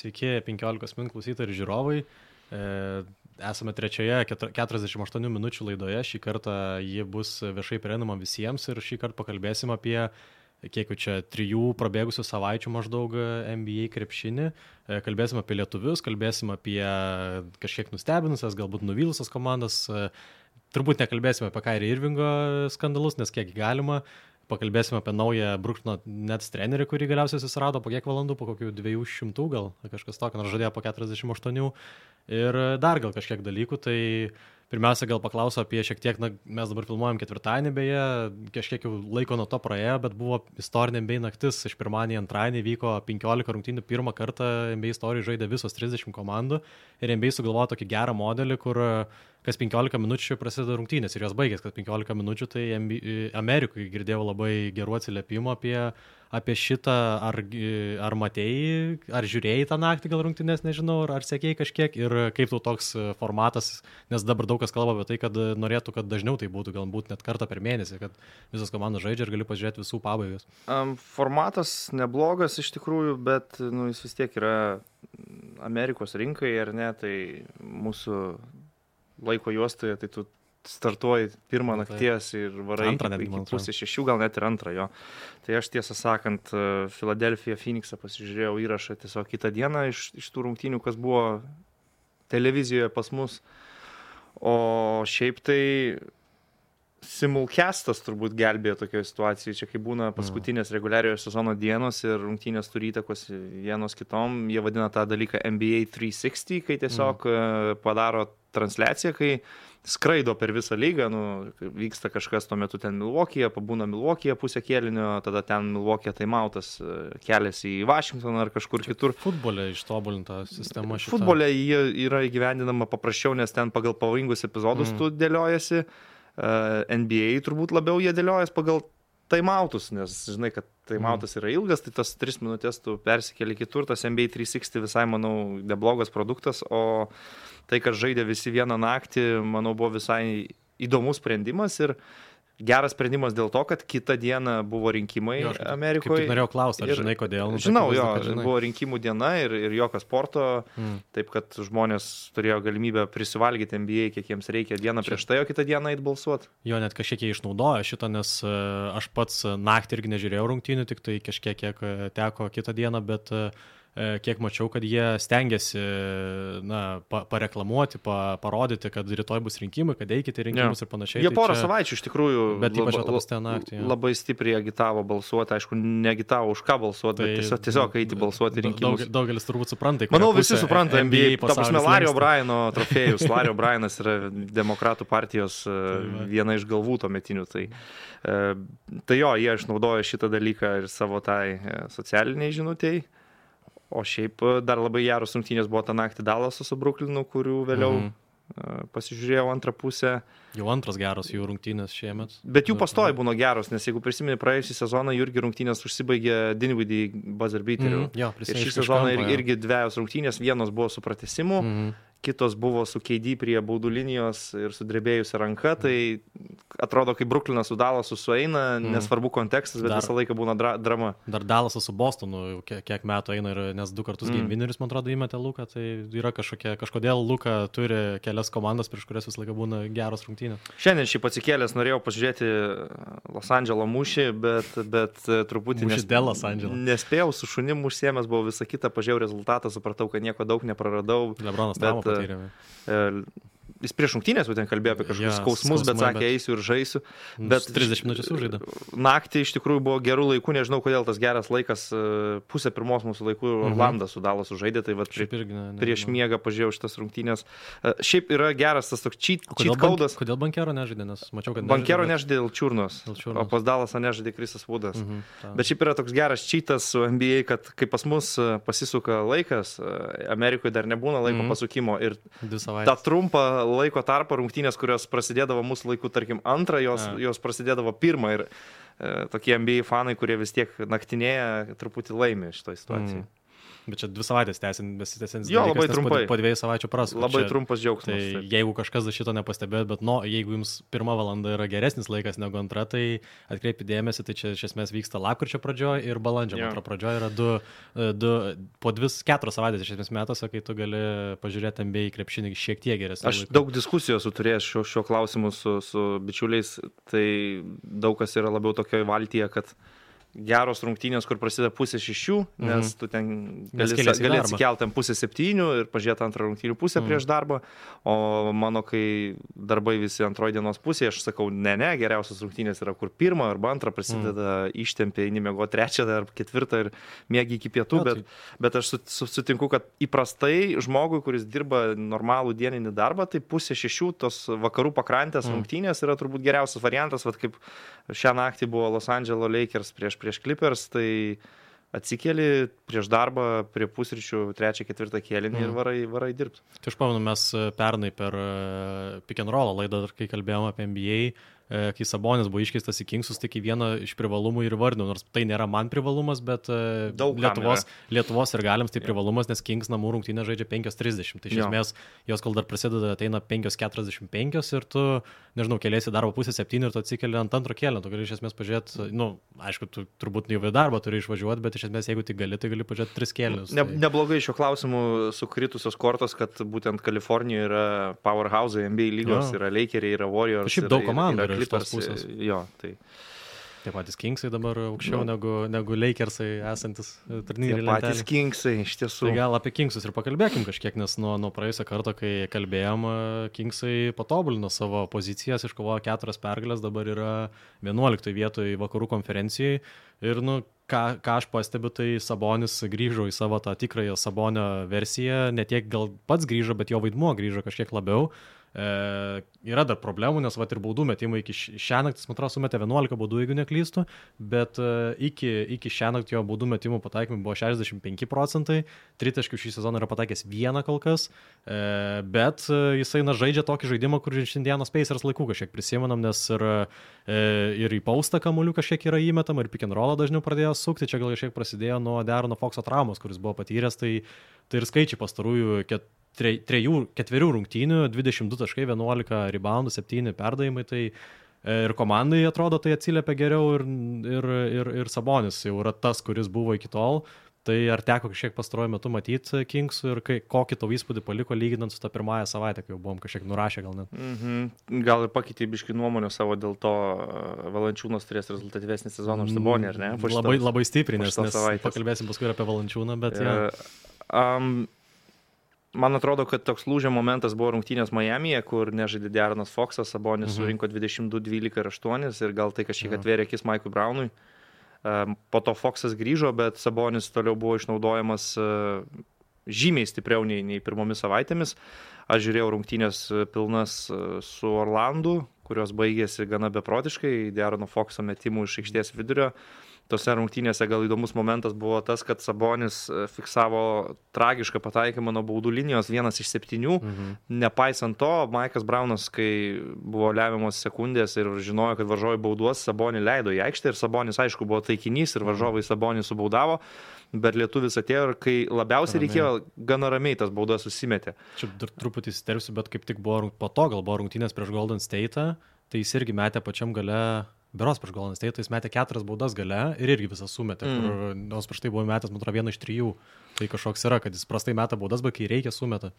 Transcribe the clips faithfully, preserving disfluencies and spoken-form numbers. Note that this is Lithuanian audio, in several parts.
Sveiki, penkiolikos min klausytojai ir žiūrovai. Esame trečioje keturiasdešimt aštuonių minučių laidoje. Šį kartą ji bus viešai prieinama visiems ir šį kartą pakalbėsim apie, kiek jau čia, trijų prabėgusių savaičių maždaug N B A krepšinį. Kalbėsim apie lietuvius, kalbėsim apie kažkiek nustebinusias, galbūt nuvylusias komandas. Turbūt nekalbėsime apie Kyrie Irvingo skandalus, nes kiek galima. Pakalbėsime apie naują Brooklyno Nets trenerį, kurį galiausiai susirado po kiek valandų, po kokių dviejų šimtų gal, kažkas tokio, nors žadėjo po keturiasdešimt aštuonių. Ir dar gal kažkiek dalykų, tai pirmiausia gal paklausiu apie šiek tiek, na, mes dabar filmuojam ketvirtadienį, beje, kažkiek jau laiko nuo to praėjo, bet buvo istorinė N B A naktis, iš pirmadienį į antradienį vyko penkiolika rungtynių, pirmą kartą N B A istorijoje žaidė visos trisdešimt komandų ir N B A sugalvojo tokį gerą modelį, kur kas penkiolika minučių prasideda rungtynės ir jos baigės, kas penkiolika minučių, tai Amerikoje girdėjau labai gerų atsiliepimų apie, apie šitą, ar, ar matėjai, ar žiūrėjai tą naktį gal rungtynės, nežinau, ar, ar sekėjai kažkiek ir kaip tau toks formatas, nes dabar daug kas kalba apie tai, kad norėtų, kad dažniau tai būtų, galbūt net kartą per mėnesį, kad visos komandos žaidžia ir gali pažiūrėti visų pabaigas. Um, formatas neblogas iš tikrųjų, bet nu, jis vis tiek yra Amerikos rinkai, ar ne, tai mūsų laiko juostoje, tai tu startuoji pirmą nakties ir varai antrą, iki, iki pusės šešių, gal net ir antrą jo. Tai aš tiesą sakant, Philadelphia Phoenixą pasižiūrėjau įrašą tiesiog kitą dieną iš, iš tų rungtynių, kas buvo televizijoje pas mus. O šiaip tai simulcastas turbūt gelbėjo tokioje situacijoje. Čia kai būna paskutinės reguliariojo sezono dienos ir rungtynės turi įtakos vienos kitom, jie vadina tą dalyką N B A trys šimtai, kai tiesiog mm. padaro transliacija, kai skraido per visą lygą, nu, vyksta kažkas tuo metu ten Milwaukee'e, pabūna Milwaukee'e pusę kėlinio, tada ten Milwaukee'e taimautas keliasi į Vašingtoną ar kažkur Čia kitur. Futbole ištobulinta sistema šita. Futbole jie yra įgyvendinama paprasčiau, nes ten pagal pavojingus epizodus mm. tu dėliojasi. N B A turbūt labiau jie dėliojas pagal taimautus, nes žinai, kad taimautas yra ilgas, tai tas tris minutės tu persikeli kitur, tas N B A trys šimtai visai, manau, neblogas produktas, o tai, kad žaidė visi vieną naktį, manau, buvo visai įdomus sprendimas ir geras sprendimas dėl to, kad kitą dieną buvo rinkimai jo, Amerikoje. Kaip tik norėjau klausti, ar ir, žinai kodėl? Nu, žinau, jo, žinai. Buvo rinkimų diena ir, ir jokio sporto, mm. taip kad žmonės turėjo galimybę prisivalgyti N B A, kiek jiems reikia dieną prieš tai, o kitą dieną eit balsuoti. Jo, net kažkiek jie išnaudojo šitą, nes aš pats naktį irgi nežiūrėjau rungtynių, tik tai kažkiek kiek teko kitą dieną, bet kiek mačiau, kad jie stengiasi na, pa, pareklamuoti, pa, parodyti, kad rytoj bus rinkimai, kad eikite rinkimus ja. ir panašiai. Jie porą tai čia... savaičių iš tikrųjų bet ypač atapastė naktį. Ja. Labai stipriai agitavo balsuoti, aišku, neagitavo už ką balsuoti, tai, bet tiesiog, tiesiog eiti balsuoti rinkimus. Daug, daugelis turbūt supranta. Manau, visi supranta N B A. Ta prasme, Larry O'Brieno trofėjus. Larry O'Brienas yra demokratų partijos tai viena iš galvų tuometinių. Tai, tai jo, jie išnaudojo šitą dalyką ir savo tai socialiniai žinutėjai. O šiaip dar labai geros rungtynės buvo tą naktį Dallaso su Brooklynu, kurių vėliau mm. pasižiūrėjau antrą pusę. Jau antras geros jų rungtynės šiemet. Bet jų pastoji būna geros, nes jeigu prisimeni praėjusį sezoną, jų irgi rungtynės užsibaigė Dinwiddie buzzer beateriu. Mm. Jo, ir šį sezoną ir, irgi dviejos rungtynės, vienos buvo su pratęsimu, mm. kitos buvo su K D prie baudų linijos ir sudrebėjusi ranka, tai atrodo, kai Brooklynas su Dallasu sueina, mm. nesvarbu kontekstas, bet dar, visą laiką būna dra- drama. Dar Dallasas su Bostonu kiek, kiek metų eina, ir, nes du kartus mm. game winnerius, man atrodo, įmetė Luką, tai yra kažkokie, kažkodėl Luka turi kelias komandas, prieš kurias visą laiką būna geros rungtynės. Šiandien šį atsikėlęs norėjau pažiūrėti Los Andželo mūšį, bet, bet truputį nes, nespėjau, su šunim užsiėmęs, buvo visą kitą, pažiūrėjau rezultatą, supratau, kad nieko daug nepraradau. Lebronas traumą patyrė. E, Jis prieš rungtynės būtent kalbėjo apie kažkokius ja, skausmus, bet sakė, bet... eisiu ir žaisiu. Bet trisdešimt minučių sužaidė. Naktį iš tikrųjų buvo gerų laikų, nežinau, kodėl tas geras laikas, pusę pirmos mūsų laikų Orlandas su Dallasu žaidė, tai vat prie, irgi, ne, ne, prieš ne. miegą pažiūrėjau šitas rungtynės. Šiaip yra geras tas toks cheat, cheat codas. Kodėl Bankero nežaidė, nes mačiau, kad nežaidė. Bankero nežaidė dėl Čiurnos, o pas Dallasą nežaidė Krisas Woodas. Mhm, bet šiaip yra toks geras cheatas su N B A, kad kai pas mus pasisuka laikas, Amerikoje dar nebūna laiko mhm. pasukimo ir tą trumpą laiko tarpą rungtynės, kurios prasidėdavo mūsų laikų, tarkim, antrą, jos, ja. jos prasidėdavo pirmą ir e, tokie N B A fanai, kurie vis tiek naktinėje, truputį laimė šitoj situacijai. Mm. Bet čia dvi savaitės besitęsiantis Jo, dalykas, labai nes trumpai. Po, po dviejų savaičių prasku. Labai čia, trumpas džiaugsmas. Tai taip. jeigu kažkas šito nepastebėjot, bet no, jeigu jums pirma valanda yra geresnis laikas negu antra, tai atkreipi dėmesį, tai čia iš esmės vyksta lapkričio pradžioje ir balandžio Jo. antra pradžioje yra du, du, po dvi, keturios savaitės iš esmės metuose, kai tu gali pažiūrėti N B A krepšinį šiek tiek geresnį. Aš daug diskusijų esu turėjęs šio, šio klausimu su, su bičiuliais, tai daug kas yra labiau tokioje valtyje, kad geros rungtynės, kur prasideda pusė šešių, nes Mhm. tu ten Nes gali, keliesi į gali darbą. atsikelti ten pusę septynių ir pažiūrėti antrą rungtynių pusę Mhm. prieš darbą, o mano, kai darbai visi antroji dienos pusėje, aš sakau, ne, ne, geriausios rungtynės yra, kur pirmą arba antrą prasideda, ištempia, eini miegoti trečią ar ketvirtą ir mėgi iki pietų, Jo, bet, tai- bet aš su- su- sutinku, kad įprastai žmogui, kuris dirba normalų dieninį darbą, tai pusė šešių tos vakarų pakrantės Mhm. rungtynės yra turbūt geriausias variantas, vat kaip šią naktį buvo Los Angeles Lakers prieš, prieš Clippers, tai atsikeli prieš darbą prie pusryčių trečią, ketvirtą kėlinį Mm. ir varai, varai dirbti. Tai aš pamenu, mes pernai per uh, Pick and Roll laidą, dar kai kalbėjome apie N B A, uh, kai Sabonis buvo iškeistas į Kingsus, tai kaip vieną iš privalumų ir vardinau, nors tai nėra man privalumas, bet uh, Daug kam Lietuvos, yra. Lietuvos ir galiams tai Jo. privalumas, nes Kings namų rungtynė žaidžia penkios trisdešimt. Tai iš Jo. esmės jos, kol dar prasideda, ateina penkios keturiasdešimt penkios ir tu, nežinau, keliasi darbo pusę septynių ir tu atsikeli ant antro kėlinio. Tu gali iš esmės pažiūrėti, nu, aišku, tu turbūt jau į darbą turi išvažiuoti, bet iš esmės, jeigu tik gali, tai gali pažiūrėti tris kėlinius. Ne, Tai... neblogai šiuo klausimu sukritusios kortos, kad būtent Kalifornijoje yra powerhouse, N B A lygos, Jo. yra Lakeriai, yra Warriors. Šiaip yra- daug komandų yra yra iš tos Clippers, pusės. Jo, tai Tie patys Kingsai dabar aukščiau Nu. negu, negu Lakersai esantis tie turnyrai. patys Kingsai iš tiesų. Tai gal apie Kingsus ir pakalbėkim kažkiek, nes nuo, nuo praėjusio karto, kai kalbėjom, e, Kingsai patobulino savo pozicijas, iškovojo keturias pergalės, dabar yra vienuoliktoje vietoje vakarų konferencijai. Ir, nu, ką, ką aš pastebiu, tai Sabonis grįžo į savo tą tikrąją Sabonio versiją, ne tiek gal pats grįžo, bet jo vaidmuo grįžo kažkiek labiau. E, yra dar problemų, nes vat ir baudų metimai iki šią naktį, man atrodo, sumetė vienuolika baudų, jeigu neklystu, bet e, iki, iki šią naktį jo baudų metimų pataikymai buvo šešiasdešimt penki procentai, tritaškių šį sezoną yra pataikęs vieną kol kas, e, bet e, jisai na, žaidžia tokį žaidimą, kur iš Indianos Pacers laikų kažkiek prisimenam, nes ir, e, ir į paustą kamuolių kažkiek yra įmetama, ir pick and rollą dažniau pradėjo sukti, čia gal kažkiek prasidėjo nuo Derono Foxo traumos, kuris buvo patyręs, tai, tai ir skaičiai pastarųjų ket, tre, trejų, ketverių rungtynių, dvidešimt du taškai, vienuolika reboundų, septyni perdavimai, tai e, ir komandai atrodo tai atsiliepia geriau ir, ir, ir, ir Sabonis jau yra tas, kuris buvo iki tol. Tai ar teko kažkiek pastaruoju metu matyti Kingsų ir kai, kokį tau įspūdį paliko lyginant su tą pirmąją savaitę, kai jau buvom kažkiek nurašę gal net? Mhm. Gal ir pakeitė biškį nuomonę savo, dėl to Valančiūnas turės rezultatyvesnį sezoną už Sabonį, ar ne? Po Labai, šitos- labai stipriai, po nes, šitos nes savaitės. pakalbėsim paskui ir apie Valančiūną, bet E, ja. um, Man atrodo, kad toks lūžio momentas buvo rungtynės Miamyje, kur nežaidė Deronas Foxas, Sabonis Mhm. surinko dvidešimt du, dvylika ir aštuoni ir gal tai kažkiek Jo. atvėrė akis Maikui Brownui. Um, Po to Foxas grįžo, bet Sabonis toliau buvo išnaudojamas uh, žymiai stipriau nei, nei pirmomis savaitėmis. Aš žiūrėjau rungtynės uh, pilnas uh, su Orlandu, kurios baigėsi gana beprotiškai, Derono Foxo metimų iš aikštės vidurio. Tose rungtynėse gal įdomus momentas buvo tas, kad Sabonis uh, fiksavo tragišką pataikymą nuo baudų linijos, vienas iš septynių. Mhm. Nepaisant to, Maikas Braunas, kai buvo lemiamos sekundės ir žinojo, kad varžovai bauduos, Sabonį leido į aikštę ir Sabonis, aišku, buvo taikinys ir varžovai Sabonį subaudavo, bet lietuvis atėjo ir kai labiausiai Ramiai. reikėjo, gana ramiai tas baudas susimetė. Čia dar truputį įsiterpsiu, bet kaip tik buvo rung- po to, gal buvo rungtynės prieš Golden State, tai jis irgi metė pačiam gale, beros prieš Golden State, jis metė keturias baudas gale ir irgi visą sumetė, mm. kur nors prieš tai buvo metęs, man atrodo, vieną iš trijų. Tai kažkoks yra, kad jis prastai meta baudas, bet kai reikia sumeta.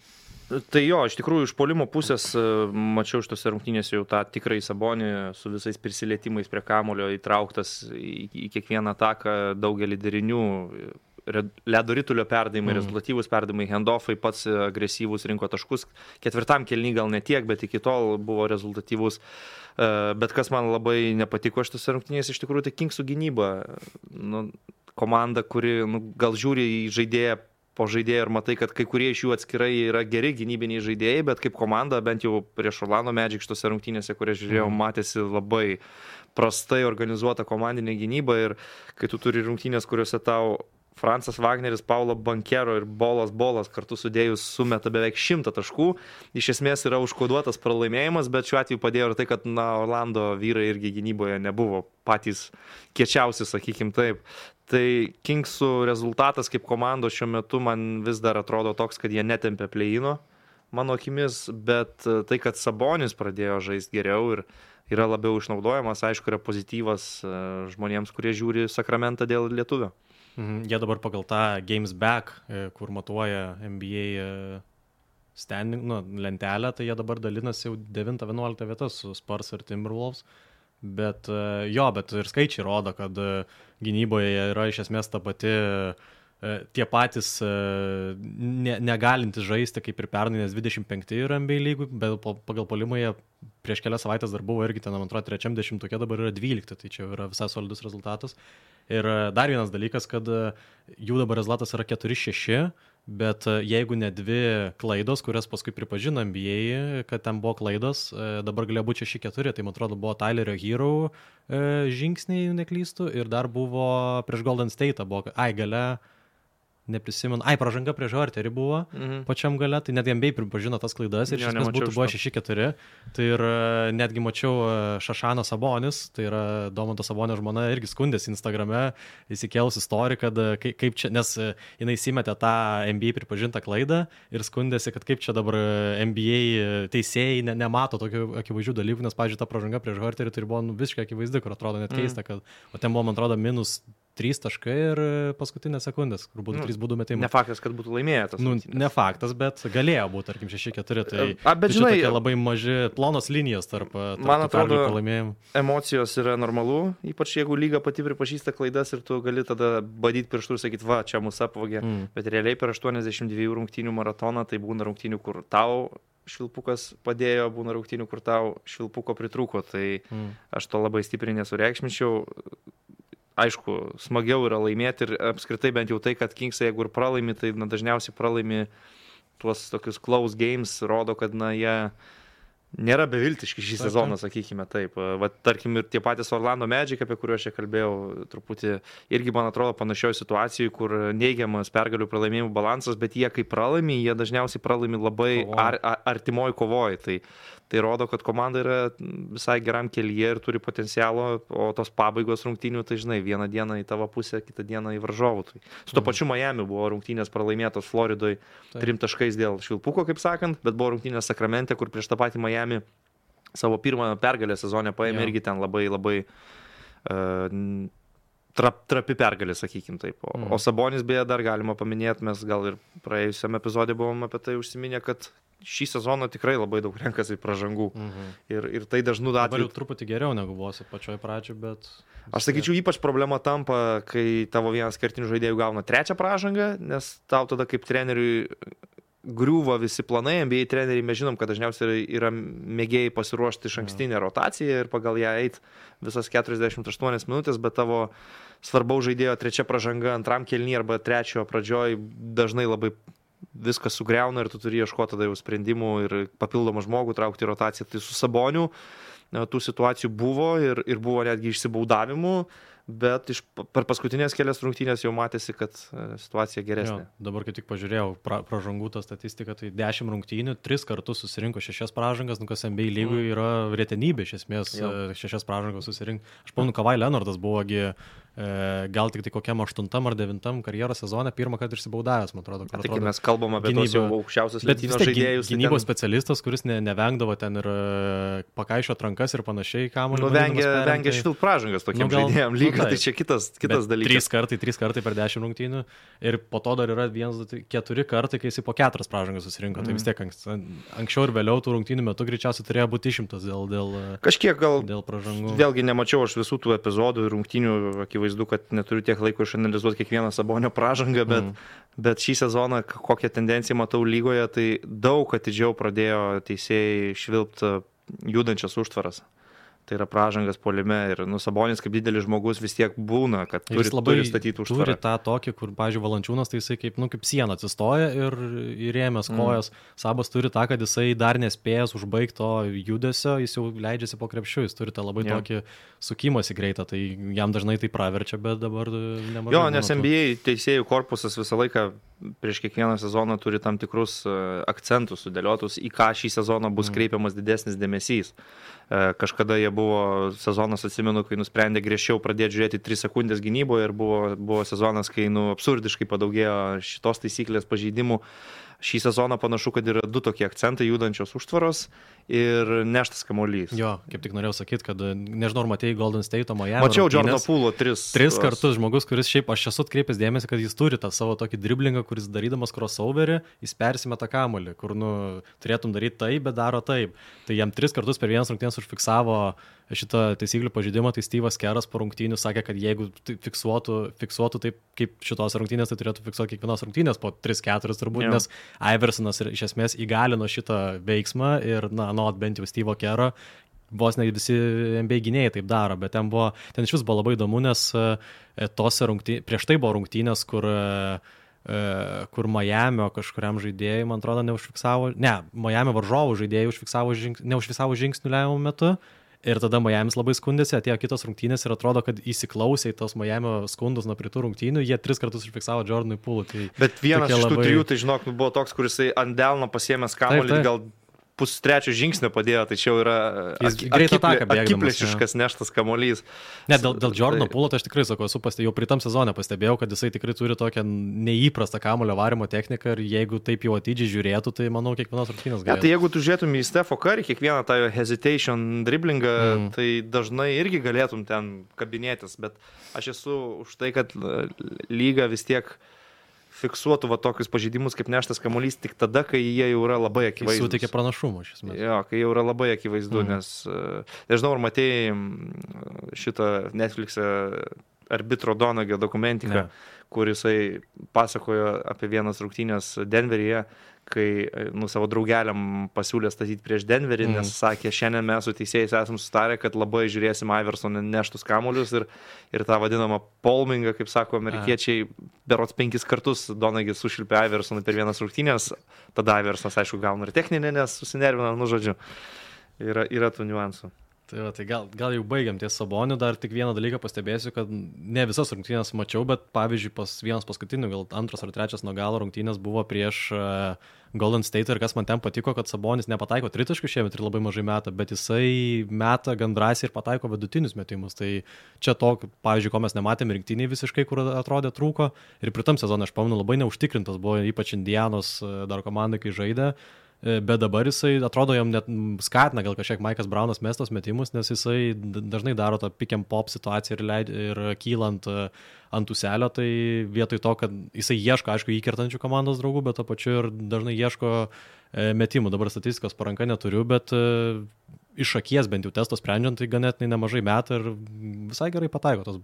Tai jo, iš tikrųjų, iš puolimo pusės e, mačiau šitose rungtynėse jau tą tikrąjį Sabonį su visais prisilietimais prie kamulio įtrauktas į, į kiekvieną ataką, daugelį derinių, re- ledo ritulio perdavimai, Mm. mm. rezultatyvūs perdavimai, handoffai, pats agresyvūs rinko taškus. Ketvirtam kėliny gal ne tiek, bet iki tol buvo rezultatyvūs. E, Bet kas man labai nepatiko šitose rungtynėse, iš tikrųjų, tai Kingsų gynyba. Nu, komanda, kuri nu, gal žiūri į žaidėją po žaidėjų ir matai, kad kai kurie iš jų atskirai yra geri gynybiniai žaidėjai, bet kaip komanda, bent jau prieš Orlando Magic šitose rungtynėse, kurias žiūrėjau, Mhm. matėsi labai prastai organizuota komandinė gynyba ir kai tu turi rungtynės, kuriuose tau Francas Wagneris, Paulo Bankero ir Bolas Bolas kartu sudėjus sumeta beveik šimtą taškų. Iš esmės yra užkoduotas pralaimėjimas, bet šiuo atveju padėjo ir tai, kad na, Orlando vyrai irgi gynyboje nebuvo patys kiečiausi, sakykim taip. Tai Kingsų rezultatas kaip komandos šiuo metu man vis dar atrodo toks, kad jie netempė play-ino, mano akimis, bet tai, kad Sabonis pradėjo žaisti geriau ir yra labiau išnaudojamas, aišku, yra pozityvas žmonėms, kurie žiūri Sakramentą dėl lietuvio. Mhm. Jie dabar pagal tą Games Back, kur matuoja N B A standing, nu, lentelę, tai jie dabar dalinasi jau devintą vienuoliktą vietas su Spurs ir Timberwolves. Bet jo, bet ir skaičiai rodo, kad gynyboje yra iš esmės ta pati, tie patys ne, negalintis žaisti kaip ir pernai, nes dvidešimt penki yra N B A lygų, bet pagal puolimą jie prieš kelias savaitės dar buvo irgi ten, man atrodo, trečiam dešimtuke, dabar yra dvylikti, tai čia yra visai solidus rezultatas. Ir dar vienas dalykas, kad jų dabar rezultatas yra keturi šeši, bet jeigu ne dvi klaidos, kurias paskui pripažino N B A, kad ten buvo klaidos, dabar galėjo būti šeši keturi, tai man atrodo buvo Tylerio Hero žingsniai, neklystų, ir dar buvo prieš Golden State, buvo, ai, gale, neprisimenu, ai, pražanga prieš Horterį buvo mhm. pačiam gale, tai net N B A pripažino tas klaidas ir iš esmės būtų buvo šeši keturi. Tai ir netgi mačiau Šašaną Sabonis, tai yra Domanto Sabonio žmona, irgi skundėsi Instagrame, įsikėlus istoriją, kad kaip čia, nes jinai įsimetė tą N B A pripažintą klaidą ir skundėsi, kad kaip čia dabar N B A teisėjai ne, nemato tokių akivaizdžių dalykų, nes, pavyzdžiui, ta pražanga prieš Horterį tai buvo nu, visiškai akivaizdi, kur atrodo net keista, kad, o ten buvo, man atrodo, minus trys taškai ir paskutinės sekundės, kur būtų nu, trys būdų metimai. Ne faktas, kad būtų laimėjęs. Nu, ne faktas, bet galėjo būti, tarkim, šeši keturi. Tai, A, bet, tai žinai, tokie labai maži, plonos linijos tarp, tarp man atrodo, pralaimėjimų. Emocijos yra normalu, ypač jeigu lyga pati pripažįsta klaidas ir tu gali tada badyti pirštų ir sakyti, va, čia mūsų apvogė. Mm. Bet realiai per aštuoniasdešimt dviejų rungtynių maratoną tai būna rungtynių, kur tau švilpukas padėjo, būna rungtynių, kur tau švilpuko pritrūko. Tai mm. aš to labai stipriai nesureikšminčiau. Aišku, smagiau yra laimėti ir apskritai bent jau tai, kad Kingsai, jeigu ir pralaimi, tai na, dažniausiai pralaimi tuos tokius close games, rodo, kad na, jie nėra beviltiški šį sezoną, sakykime taip. Va, tarkim, ir tie patys Orlando Magic, apie kuriuos čia kalbėjau, truputį irgi, man atrodo, panašioje situacijoje, kur neigiamas pergalių pralaimėjimų balansas, bet jie, kai pralaimi, jie dažniausiai pralaimi labai ar, ar, artimoj kovoj. Tai, tai rodo, kad komanda yra visai geram kelyje ir turi potencialo, o tos pabaigos rungtynių, tai žinai, vieną dieną į tavo pusę, kitą dieną į varžovų. Tai su to pačiu Miami buvo rungtynės pralaimėtos Floridoje trim taškais dėl švilpuko, kaip sakant, bet buvo rungtynės Sakramente, kur prieš tą patį Miami savo pirmą pergalę sezone paėmė irgi ten labai, labai uh, trap, trapi pergalė, sakykim taip. O, mm. o Sabonis beje dar galima paminėti, mes gal ir praėjusiam epizodė buvom apie tai užsiminę, kad šį sezoną tikrai labai daug renkasi pražangų. Mm-hmm. Ir, ir tai dažnų atveju. Dabar jau truputį geriau negu buvo pačioj pradžioj, bet... Aš sakyčiau, ypač problema tampa, kai tavo vienas kertinių žaidėjų gauna trečią pražangą, nes tau tada kaip treneriui griūva visi planai, N B A treneriai, mes žinom, kad dažniausiai yra mėgėjai pasiruošti iš ankstinę rotaciją ir pagal ją eit visas keturiasdešimt aštuonias minutės, bet tavo svarbaus žaidėjo trečia pražanga antram kėliny arba trečiojo pradžioj dažnai labai viskas sugriauna ir tu turi ieškoti tada jau sprendimų ir papildomą žmogų traukti į rotaciją. Tai su Saboniu tų situacijų buvo ir, ir buvo netgi išsibaudavimų, bet iš, per paskutinės kelias rungtynės jau matėsi, kad situacija geresnė. Jo, dabar kai tik pažiūrėjau pra, pražangų tą statistiką, tai dešimt rungtynių, tris kartus susirinko šešias pražangas, nu kas N B A lygui yra retenybė iš esmės, jo. Šešias pražangas susirinkti. Aš pamenu, Kawhi Leonardas buvogi gal tik tai kokiam aštuntam ar devintam karjeros sezone pirmą kartą išsibaudavęs, man atrodo. Tai kai mes kalbam apie gynybą, tos jau aukščiausios lentynos žaidėjus. Gynybos ten... specialistas, kuris ne, nevengdavo ten ir pakaišio atrankas ir panašiai, kamuolį. Nu, vengia, vengia švilp pražangas tokiem nu, žaidėjam lyga, nu, tai čia kitas, kitas dalykas. Trys kartai, trys kartai per dešimt rungtynių ir po to dar yra vienas, keturi kartai, kai jis po keturias pražangas susirinko. Mm. Tai vis tiek anks, anksčiau ir vėliau tų rungtynių metu greičiausiai turėjo būti išimtas dėl, dėl, kažkiek gal dėl pražangų. Vėlgi nemačiau aš visų tų epizodų ir rungtynių, akivaizdu, kad neturiu tiek laiko išanalizuoti kiekvieną Sabonio pražangą, bet, mm. bet šį sezoną kokią tendenciją matau lygoje, tai daug atidžiau pradėjo teisėjai švilpti judančias užtvaras. Tai yra pražangas puolime ir nu, Sabonis kaip didelis žmogus vis tiek būna, kad turi, turi statyti užtvarą. Turi tą tokį, kur, pavyzdžiui, Valančiūnas, tai jisai kaip, nu, kaip siena atsistoja ir įrėmęs kojas. Mm. Sabas turi tą, kad jisai dar nespėjęs užbaigti to judesio, jis jau leidžiasi po krepšiu, jis turi tą labai yeah. tokį sukimąsi greitą, tai jam dažnai tai praverčia, bet dabar nemažai. Jo, nes N B A teisėjų korpusas visą laiką prieš kiekvieną sezoną turi tam tikrus akcentus sudėliotus, į ką šį sezoną bus mm. kreipiamas didesnis dėmesys. Kažkada jie buvo sezonas, atsimenu, kai nusprendė griežčiau pradėti žiūrėti tris sekundės gynyboje ir buvo, buvo sezonas, kai nu, absurdiškai padaugėjo šitos taisyklės pažeidimų. Šį sezoną panašu, kad yra du tokie akcentai, judančios užtvaros ir neštas kamuolys. Jo, kaip tik norėjau sakyti, kad nežinau, ar matėjai Golden State Miami. Mačiau Jordano Poole'o tris. Tris tos... kartus žmogus, kuris šiaip, aš esu atkreipęs dėmesį, kad jis turi tą savo tokį driblingą, kuris darydamas crossoverį, jis persimeta kamuolį, kur nu, turėtum daryti taip, bet daro taip. Tai jam tris kartus per vienas rungtynes užfiksavo šitą taisyklių pažeidimą, tai Steve'as Keras po rungtynių sakė, kad jeigu fiksuotų, fiksuotų taip, kaip šitos rungtynės, tai turėtų fiksuoti kiekvienos rungtynės po tris keturis turbūt, yeah. Nes Iversonas iš esmės įgalino šitą veiksmą ir, na, nuot bent jau Steve'o Kero, vos ne visi N B A gynėjai taip daro, bet ten, buvo, ten iš vis buvo labai įdomu, nes tose rungtynės, prieš tai buvo rungtynės, kur kur Miamio kažkuriam žaidėjui, man atrodo, neužfiksavo, ne, Miamio varžovų žaidėjai užfiksavo žings, neužfiksavo žingsnių lemiamų metu. Ir tada Miamis labai skundėsi, atėjo kitos rungtynės ir atrodo, kad įsiklausė į tos Miamio skundus nuo pritų rungtynių, jie tris kartus užfiksavo Jordanui Poole'ui. Tai bet vienas iš tų labai... trijų, tai žinok, buvo toks, kuris ant delno pasiėmęs kamuolį, gal pustrečio žingsnio padėjo, tai čia jau yra akiplėšiškas neštas kamuolys. Ne, dėl, dėl Jordano Poole'o tai aš tikrai sakau, esu pastebėjau, jau pritam sezone pastebėjau, kad jisai tikrai turi tokią neįprastą kamuolio varimo techniką ir jeigu taip jau atidžiai žiūrėtų, tai manau kiekvienos rungtynės galėtų. Ja, tai jeigu tu žiūrėtum į Stepho Curry, kiekvieną tą hesitation driblingą, mm. tai dažnai irgi galėtum ten kabinėtis, bet aš esu už tai, kad lyga vis tiek fiksuotų va tokius pažeidimus kaip neštas kamuolys tik tada, kai jie jau yra labai akivaizdus. Jis suteikia pranašumą iš esmės. Jo, kai jau yra labai akivaizdu, mm. nes, nežinau, ar matėjai šitą Netflix'e arbitro Donagio dokumentiką, ne. Kur jisai pasakojo apie vienas rungtynės Denveryje, kai nu, savo draugeliam pasiūlė statyti prieš Denverį, mm. nes sakė, šiandien mes su teisėjais esam sustarę, kad labai žiūrėsim Iversoną neštus kamuolius ir, ir tą vadinamą palmingą, kaip sako amerikiečiai, berods penkis kartus Donagis sušilpė Iversoną per vienas rungtynės, tada Iversonas, aišku, gauna ir techninę, nes susinervina, nu žodžiu, yra, yra tų niuansų. Tai, va, tai gal, gal jau baigiam ties Saboniu, dar tik vieną dalyką pastebėsiu, kad ne visas rungtynės mačiau, bet pavyzdžiui, pas vienas paskutinių, gal antras ar trečias nuo galo rungtynės buvo prieš uh, Golden State ir kas man ten patiko, kad Sabonis nepataiko tritaškių šiemet ir labai mažai meta, bet jisai meta gan drąsiai ir pataiko vidutinius metimus. Tai čia to, pavyzdžiui, ko mes nematėme rinktiniai visiškai, kur atrodė trūko ir pritam sezonui, aš pamenu, labai neužtikrintas buvo, ypač Indianos dar komandai, kai žaidė. Bet dabar jisai, atrodo, jam net skatina gal kažkiek Maikas Braunas mestos metimus, nes jisai dažnai daro tą pick and pop situaciją ir, leid, ir kylant ant uselio, tai vietoj to, kad jisai ieško, aišku, įkertančių komandos draugų, bet to pačiu ir dažnai ieško metimų. Dabar statistikos po ranka neturiu, bet iš akies bent jau testo sprendžiant, tai ganėtinai nemažai metą ir visai gerai pataiko tos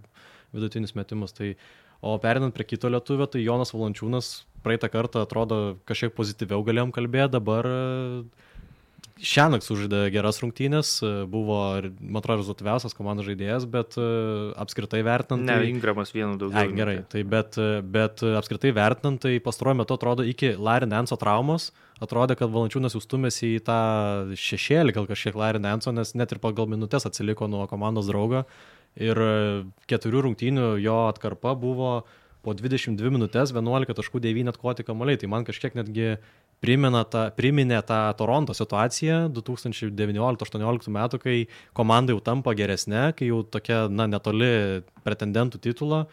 vidutinius metimus. Tai, o perinant prie kito lietuvio, tai Jonas Valančiūnas praeitą kartą atrodo kažkiek pozityviau galėjom kalbėti, dabar šiąnakt sužaidė geras rungtynės, buvo, man atrodo, rezultatyviausias komandos žaidėjas, bet apskritai vertinant... Ne, tai... Ingramas vienu daugiau. Ai, gerai, tai bet, bet apskritai vertinant, tai pastaruoju metu atrodo iki Larry Nance'o traumos, atrodė, kad Valančiūnas jau stumėsi į tą šešėlį, gal kažkiek Larry Nance'o, nes net ir pagal minutės atsiliko nuo komandos draugo ir keturių rungtynių jo atkarpa buvo po dvidešimt dvi minutės, vienuolika taškų devyni atkoti kamuoliai. Tai man kažkiek netgi primena tą, priminė tą Toronto situaciją du tūkstančiai devynioliktų aštuonioliktų metų, kai komanda jau tampa geresnė, kai jau tokia, na, netoli pretendentų titulo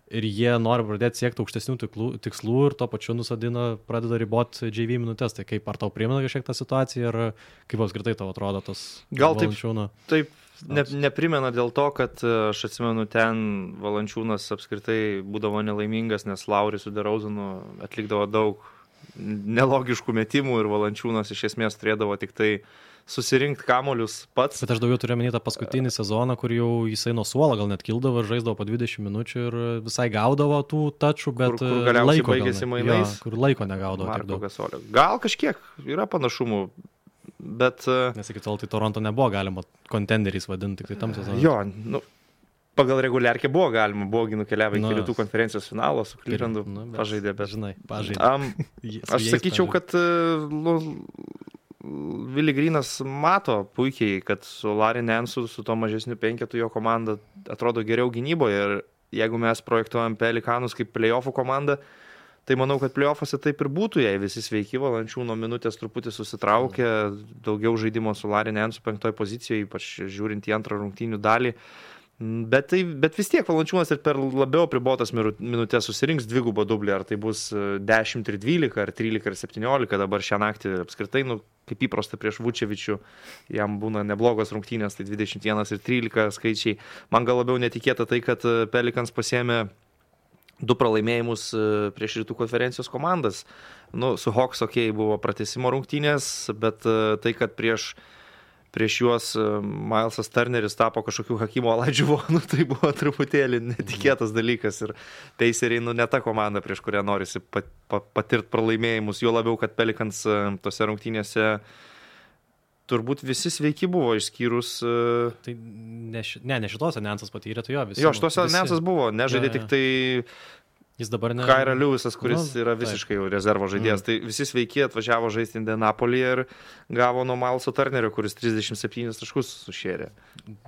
ir jie nori pradėti siekti aukštesnių tiklų, tikslų ir to pačiu nusadina, pradeda riboti J V minutės. Tai kaip, ar tau primena kažkiek tą situaciją ir kaip apskritai tau atrodo tas Valančiūno? Gal taip. Ne, neprimena dėl to, kad aš atsimenu, ten Valančiūnas apskritai būdavo nelaimingas, nes Lauris su DeRozanu atlikdavo daug nelogiškų metimų ir Valančiūnas iš esmės turėdavo tik tai susirinkti kamolius pats. Bet aš daugiau turiu menį tą paskutinį sezoną, kur jau jisai nuo suolo gal net kildavo ir žaisdavo po dvidešimt minučių ir visai gaudavo tų tačų, bet kur, kur galiausiai baigėsi mainais. Jo, kur laiko negaudavo. Marko Gasolio. Gal kažkiek yra panašumų. Bet, nes iki tol tai Toronto nebuvo galima kontenderiais vadinti, tik tai tam sezonui. Jo, nu, pagal reguliarkę buvo galima, buvogi nukeliavę iki rytų konferencijos finalo, su Clevelandu nu, pažaidė, bet... Žinai, pažaidė. Um, aš sakyčiau, kad nu, Willie Greenas mato puikiai, kad su Larry Nance'u, su to mažesniu penketu jo komanda atrodo geriau gynyboje ir jeigu mes projektuojam Pelikanus kaip playoffų komandą, Tai manau, kad playoffuose taip ir būtų, jei visi sveiki, Valančiūno minutės truputį susitraukė, daugiau žaidimo su Larry Nance'u penktoje pozicijoje, ypač žiūrint į antrą rungtynių dalį. Bet, tai, bet vis tiek Valančiūnas ir per labiau apribotas minutės susirinks dvigubą dublį, ar tai bus dešimt ir dvylika, ar trylika ir septyniolika, dabar šią naktį apskritai, nu, kaip įprasta prieš Vučevičių, jam būna neblogos rungtynės, tai dvidešimt vienas ir trylika skaičiai. Man gal labiau netikėta tai, kad Pelicans pasiėmė du pralaimėjimus prieš rytų konferencijos komandas. Nu, su Hawks, okei, okay, buvo pratęsimo rungtynės, bet tai, kad prieš prieš juos Milesas Turneris tapo kažkokiu Hakimo Olajuwu, nu, tai buvo truputėlį netikėtas dalykas ir Paceriai, nu, ne ta komanda, prieš kurią norisi pat, pat, patirti pralaimėjimus, jo labiau, kad Pelicans tose rungtynėse turbūt visi sveiki buvo, išskyrus... Tai ne, ne, ne šitose Nansas patyrė, tai jo visi. Jo, šitose visi... Nansas buvo, nežaidė ja, ja. tik tai... Jis dabar ne... Kyra Lewisas, kuris nu, yra visiškai taip. jau rezervo žaidėjas. Mm. Tai visi sveiki atvažiavo žaisti Indianapolyje ir gavo nuo Mileso Turnerio, kuris trisdešimt septynis taškus sušėrė.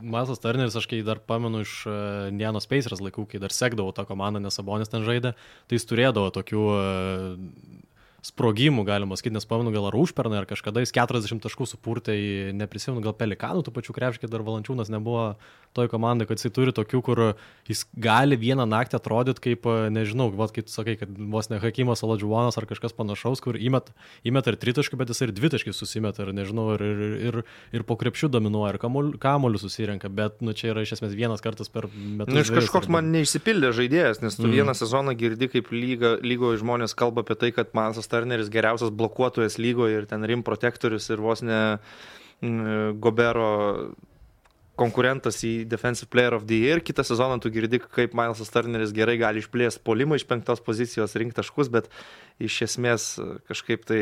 Milesas Turneris, aš kai dar pamenu iš uh, Indianos Pacers laikų, kai dar sekdavau tą komandą, nes Sabonis ten žaidė, tai jis turėdavo tokių... Uh, sprogimų, galima sakyti, nes pamenu gal ar užpernai, ar kažkada jis keturiasdešimt taškų supurtė į, neprisimenu, gal Pelikanų, tų pačių krepškai dar Valančiūnas nebuvo toj komandai, kad jisai turi tokių, kur jis gali vieną naktį atrodyti kaip, nežinau, vat, kaip tu sakai, kad vos ne Hakimas Olajuwonas ar kažkas panašaus, kur įmet, įmet ir tritaškį, bet jis ir dvitaškį susimet, ir nežinau, ir, ir, ir, ir po krepšių dominuoja, ir kamuolių susirenka, bet nu, čia yra iš esmės vienas kartas per metus. Nu, iš kažkoks man neišsipildė žaidėjas, nes tu mm. vieną sezoną girdi, kaip lyga, lygoje žmonės kalba apie tai, kad Milesas Turneris geriausias blokuotojas lygoje ir ten rim protektorius ir vos ne mm, Gobero konkurentas į Defensive Player of the Year. Kitą sezoną tu girdi, kaip Milesas Turneris gerai gali išplėsti polimą iš penktos pozicijos, rinkti taškus, bet iš esmės kažkaip tai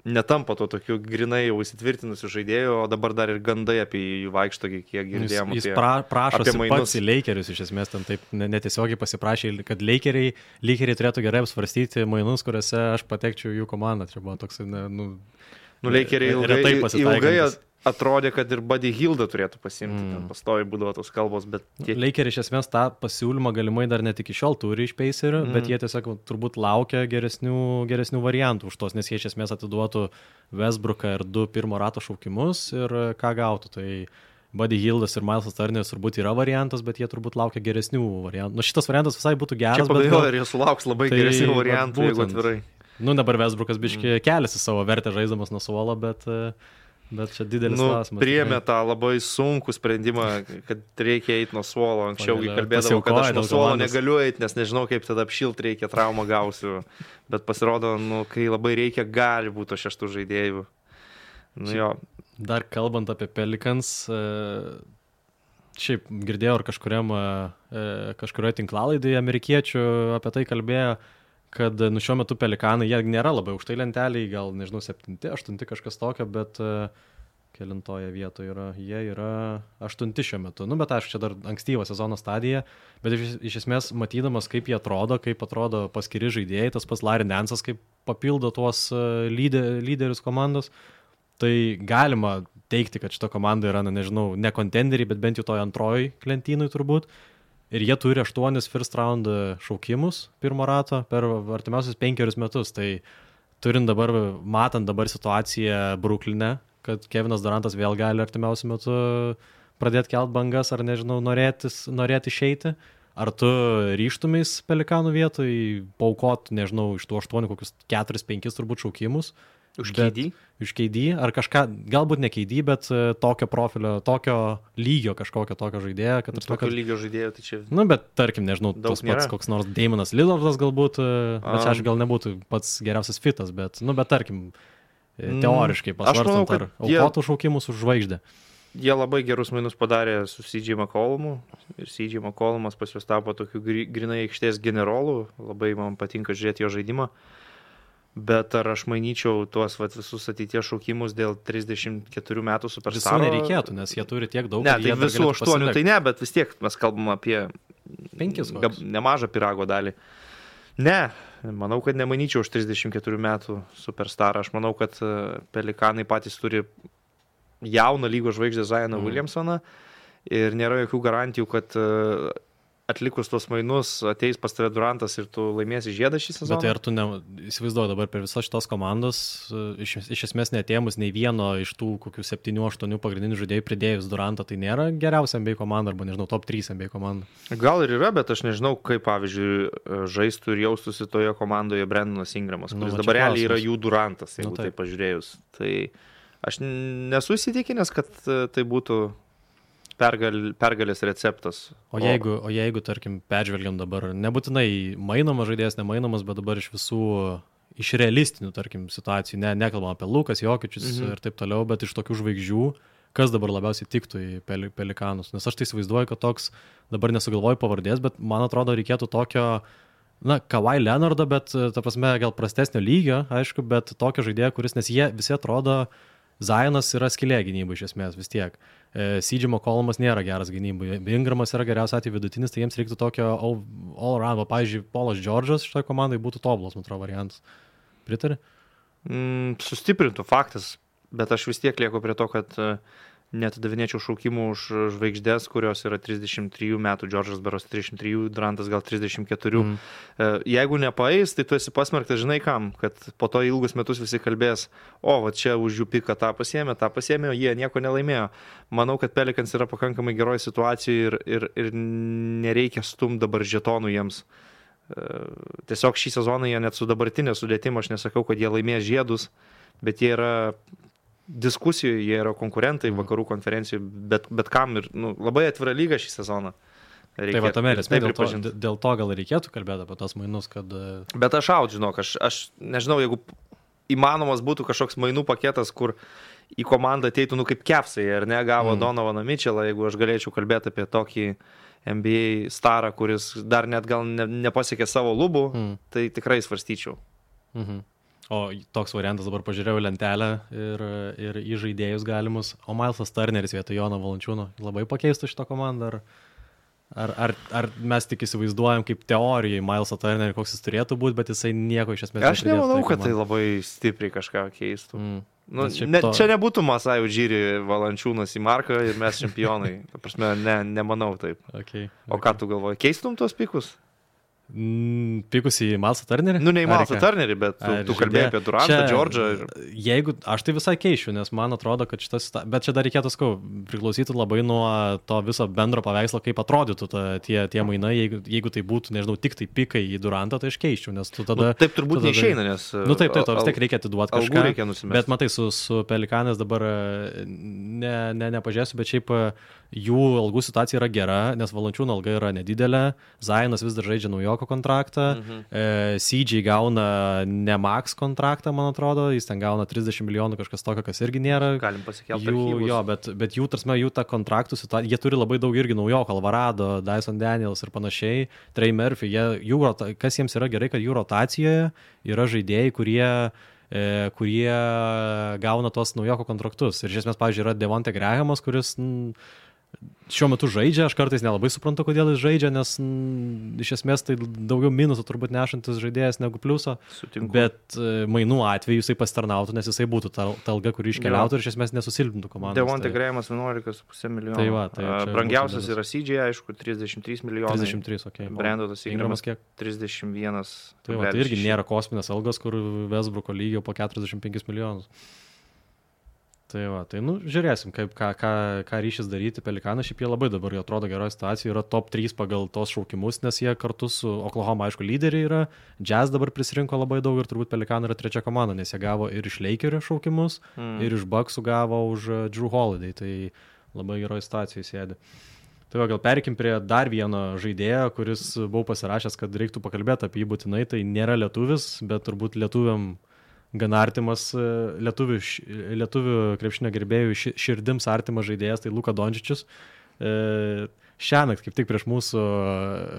netampa to tokiu grinai jau įsitvirtinusiu žaidėjų, o dabar dar ir gandai apie jų vaikšto, kiek girdėjom. Jis, jis pra, prašosi pats į Lakerius, iš esmės ten taip netiesiogiai pasiprašė, kad Lakeriai, Lakeriai turėtų gerai apsvarstyti mainus, kuriuose aš patekčiau jų komandą. Čia buvo toks, ne, nu... Nu, Lakeriai ilgai, ilgai atrodė, kad ir Buddy Hildą turėtų pasimti, mm. ten pastoviai būdavo tos kalbos, bet... Tie... Lakeriai iš esmės tą pasiūlymą galimai dar net iki šiol turi iš Pacerių, mm. bet jie tiesiog turbūt laukia geresnių, geresnių variantų už tos, nes jie iš esmės atiduotų Westbrooką ir du pirmo rato šaukimus ir ką gautų. Tai Buddy Hildas ir Milesas Turneris turbūt yra variantas, bet jie turbūt laukia geresnių variantų. Nu, šitas variantas visai būtų geras, čia bet... Čia ir jie sulauks labai tai, geresnių variantų, jeigu atvirai. Nu, dabar Westbrookas biški mm. keliasi savo vertę žaisdamas nuo suolo, bet... Bet čia didelis nu, klausimas. Priėmė tą labai sunkų sprendimą, kad reikia eiti nuo suolo. Anksčiau kalbėdavau, kad aš nuo suolo negaliu eiti, nes nežinau, kaip tada apšilt reikia, traumą gausiu. Bet pasirodo, nu, kai labai reikia, gali būti šeštų žaidėjų. Nu, jo. Dar kalbant apie Pelicans, šiaip girdėjau ar kažkuriam, kažkurioje tinklalaidėje amerikiečių apie tai kalbėjo, kad nu, šiuo metu Pelikanai, jie nėra labai aukštai lenteliai, gal, nežinau, septinti, aštunti kažkas tokio, bet uh, kelintoje vietoje yra, jie yra aštunti šiuo metu. Nu, bet aišku, čia dar ankstyva sezono stadija, bet iš, iš esmės matydamas, kaip jie atrodo, kaip atrodo paskiri žaidėjai, tas pats Larry Nance'as, kaip papildo tuos uh, lyder, lyderius komandos, tai galima teikti, kad šita komanda yra, na, nežinau, ne kontenderiai, bet bent jau toj antroj lentynui turbūt. Ir jie turi aštuonis first round šaukimus pirmo rato per artimiausius penkerius metus. Tai turint dabar, matant dabar situaciją Brukline, kad Kevinas Durantas vėl gali artimiausiu metu pradėti kelt bangas ar, nežinau, norėtis, norėti išeiti, ar tu ryžtumais Pelikanų vietoj paukot, nežinau, iš tų aštuonių kokius keturis penkis turbūt šaukimus. Už K D? Už K D, ar kažką, galbūt ne K D, bet tokio profilio, tokio lygio kažkokio tokio žaidėjo. Kad, tokio kad, lygio žaidėjo, tai čia... Nu, bet tarkim, nežinau, tas pats nėra. Koks nors Damonas Lillardas galbūt, bet čia aš gal nebūtų pats geriausias fitas, bet, nu, bet tarkim, teoriškai pasvarstant, manau, ar aukotų jie... šaukimus už žvaigždę. Jie labai gerus mainus padarė su C J McCollumu ir C J McCollumas pas juos tapo tokiu grinai aikštės generolu, labai man patinka žiūrėti jo žaidimą. Bet ar aš manyčiau tuos vat, visus ateities šaukimus dėl trisdešimt keturių metų superstaro? Visų nereikėtų, nes jie turi tiek daug. Ne, tai visų aštuonių tai ne, bet vis tiek mes kalbam apie penkis gab, nemažą pirago dalį. Ne, manau, kad nemanyčiau už trisdešimt keturių metų superstarą. Aš manau, kad Pelikanai patys turi jauną lygos žvaigždę Zioną mm. Williamsoną ir nėra jokių garantijų, kad atlikus tos mainus ateis pas tave Durantas ir tu laimėsi žiedą šį sezoną. Bet tai ar tu ne, įsivaizduoji dabar per visas šitos komandos, iš, iš esmės neatėmus nei vieno iš tų kokių septynių aštuonių pagrindinių žaidėjų pridėjus Durantą, tai nėra geriausia N B A komanda arba, nežinau, top trys N B A komanda. Gal ir yra, bet aš nežinau, kaip, pavyzdžiui, žaistų ir jaustųsi toje komandoje Brendonas Ingramas, kuris nu, dabar realiai yra jų Durantas, jeigu nu, tai pažiūrėjus. Tai aš nesu įsitikinęs, kad tai būtų Pergal, pergalės receptas. O jeigu, o jeigu, tarkim, peržvelgiam dabar, nebūtinai mainomas žaidėjas, nemainomas, bet dabar iš visų, iš realistinių, tarkim, situacijų, ne, nekalbam apie Lukas, Jokičius mhm. ir taip toliau, bet iš tokių žvaigždžių, kas dabar labiausiai tiktų į Pelikanus. Nes aš tai įsivaizduoju, kad toks, dabar nesugalvoju pavardės, bet man atrodo reikėtų tokio, na, Kawhi Leonardo, bet, ta prasme, gal prastesnio lygio, aišku, bet tokio žaidėjo, kuris, nes jie visi atrodo, Zionas yra skylė gynybai iš esmės vis tiek. C J McCollumas nėra geras gynybai. Ingramas yra geriausias atveju vidutinis, tai jiems reiktų tokio all, all around. Pavyzdžiui, Paulas Džordžas šitoje komandai būtų tobulas, man atrodo, variantas. Pritari? Mm, sustiprintų faktas, bet aš vis tiek lieku prie to, kad neatidavinėčiau šaukimų už žvaigždės, kurios yra trisdešimt trijų metų, Džordžas beros trisdešimt trijų, Durantas gal trisdešimt keturių. Mm. Jeigu nepaeis, tai tu esi pasmerktas, žinai kam, kad po to ilgus metus visi kalbės, o, va čia už jų piką tą pasiėmė, tą pasiėmė, o jie nieko nelaimėjo. Manau, kad Pelicans yra pakankamai geroje situacijoje ir, ir, ir nereikia stum dabar žetonų jiems. Tiesiog šį sezoną jie net su dabartinė sudėtim, aš nesakau, kad jie laimės žiedus, bet jie yra diskusijoje, jie yra konkurentai vakarų konferencijų, bet, bet kam ir nu, labai atvira lyga šį sezoną. Reikėtų, tai va tame esmė, dėl, to, dėl to gal reikėtų kalbėti apie tos mainus, kad... Bet aš aut, žinok, aš, aš nežinau, jeigu įmanomas būtų kažkoks mainų paketas, kur į komandą ateitų, nu kaip Kepsai, ar ne, gavo mm. Donovaną Mitchellą, jeigu aš galėčiau kalbėti apie tokį N B A starą, kuris dar net gal ne, nepasiekė savo lubų, mm. tai tikrai svarstyčiau. Mhm. O toks variantas dabar pažiūrėjau lentelę ir, ir į žaidėjus galimus. O Milesas Turneris vietoj Jono Valančiūno labai pakeistų šitą komandą? Ar, ar, ar, ar mes tik įsivaizduojam kaip teorijai Milesą Turnerį, koks jis turėtų būti, bet jisai nieko iš esmės nepridėtų? Aš nemanau, tai kad tai labai stipriai kažką keistų. Mm. Nu, ne, to... Čia nebūtų Masai Ujiri Valančiūnas į marką ir mes čempionai. Ta prasme, ne, nemanau taip. Okay, o okay. Ką tu galvoji? Keistum tuos pikus? Mm, pikus į Milesą Turnerį? Nu, ne į Milesą Turnerį, bet tu, tu kalbėjai apie Durantą, Džordžą. Ir... Jeigu, aš tai visai keičiu, nes man atrodo, kad šitas... Bet čia dar reikėtų, skau, priklausytų labai nuo to viso bendro paveikslo, kaip atrodytų ta, tie, tie mainai. Jeigu, jeigu tai būtų, nežinau, tik tai pikai į Durantą, tai aš keičiu, nes tu tada... Nu, taip turbūt tada, neišeina, nes... Nu, taip, taip, to vis tiek reikia atiduoti kažką. Reikia nusimesti. Bet matai, su, su Pelikanais dabar ne, ne, nepažiūrėsiu, bet šiaip jų algų situacija yra gera, nes Valančiūno alga yra nedidelė, Zionas vis dar žaidžia naujoko kontraktą, mhm. e, C J gauna ne max kontraktą, man atrodo, jis ten gauna trisdešimt milijonų kažkas tokio, kas irgi nėra. Galim pasikelti jų, archyvus. jo, bet, bet jų, tarsime, jų ta kontraktų situacija, jie turi labai daug irgi naujoko, Alvarado, Dyson Daniels ir panašiai, Trey Murphy, jie, jų, kas jiems yra gerai, kad jų rotacijoje yra žaidėjai, kurie kurie gauna tos naujoko kontraktus. Ir iš esmės, pavyzdžiui, yra Devonte Grahamas, kuris n, šiuo metu žaidžia, aš kartais nelabai suprantu, kodėl jis žaidžia, nes n, iš esmės tai daugiau minusų turbūt nešantis žaidėjas negu pliuso. Sutinku. Bet e, mainų atveju jisai pasitarnautų, nes jisai būtų ta, ta alga, kuri iškeliautų ir iš esmės nesusilpintų komandos. Devonte tai... Grahamas vienuolika su puse milijono. Tai va, tai brangiausias yra C J, aišku, trisdešimt trys milijonai. trisdešimt trys, okei. Okay. Brandonas Ingramas kiek? trisdešimt vienas. Tai, va, tai irgi nėra kosminės algos, kur Westbrooko lygio po keturiasdešimt penkis milijonus. Tai va, tai nu, žiūrėsim, kaip, ką, ką, ką ryšis daryti. Pelikanas šiaip jie labai dabar, jie atrodo geroje situacijoje, yra top trys pagal tos šaukimus, nes jie kartu su Oklahoma, aišku, lyderiai yra. Jazz dabar prisirinko labai daug ir turbūt Pelikanai yra trečia komanda, nes jie gavo ir iš Lakerio šaukimus, mm. ir iš Bucksų gavo už Drew Holiday, tai labai geroje situacijoje sėdi. Tai va, gal perikim prie dar vieno žaidėjo, kuris buvau pasirašęs, kad reiktų pakalbėti apie jį būtinai, tai nėra lietuvis, bet turbūt lietuviam gan artimas lietuvių, lietuvių krepšinio gerbėjų širdims artimas žaidėjas, tai Luka Dončičius. E, šiąnakt, kaip tik prieš mūsų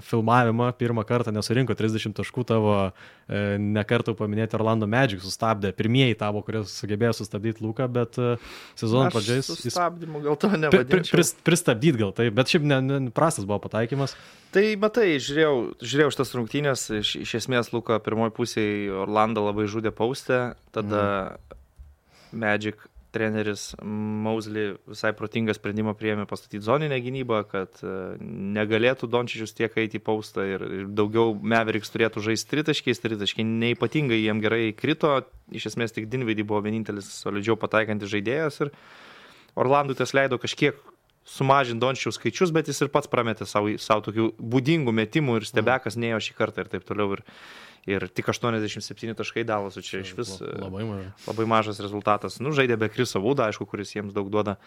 filmavimą, pirmą kartą nesurinko trisdešimt taškų, tavo e, nekartą paminėti Orlando Magic sustabdė. Pirmieji tavo, kurie sugebėjo sustabdyti Luką, bet e, sezono pradžiais... Sustabdymu gal to nevadinčiau. Pri, pri, pristabdyt gal tai, bet šiaip ne, ne, prastas buvo pataikymas. Tai matai, žiūrėjau, žiūrėjau šitas rungtynės, iš, iš esmės Luka pirmoji pusėje Orlando labai žudė paustę, tada mm. Magic treneris Mosley visai protingą sprendimą priėmė pastatyti zoninę gynybą, kad negalėtų Dončičius tiek eiti į paustą ir daugiau Mavericks turėtų žaisti tritaškiais, tritaškiai neypatingai jiem gerai krito, iš esmės tik Dinwiddie buvo vienintelis solidžiau pataikantis žaidėjas ir Orlandui tas leido kažkiek sumažinti Dončičiaus skaičius, bet jis ir pats prametė savo, savo tokių būdingų metimų ir stebekas neėjo šį kartą ir taip toliau. Ir, ir tik aštuoniasdešimt septyni taškai Dalasų čia iš vis labai, maža. labai mažas rezultatas. Nu, žaidė be Chriso Woodą, aišku, kuris jiems daug duoda,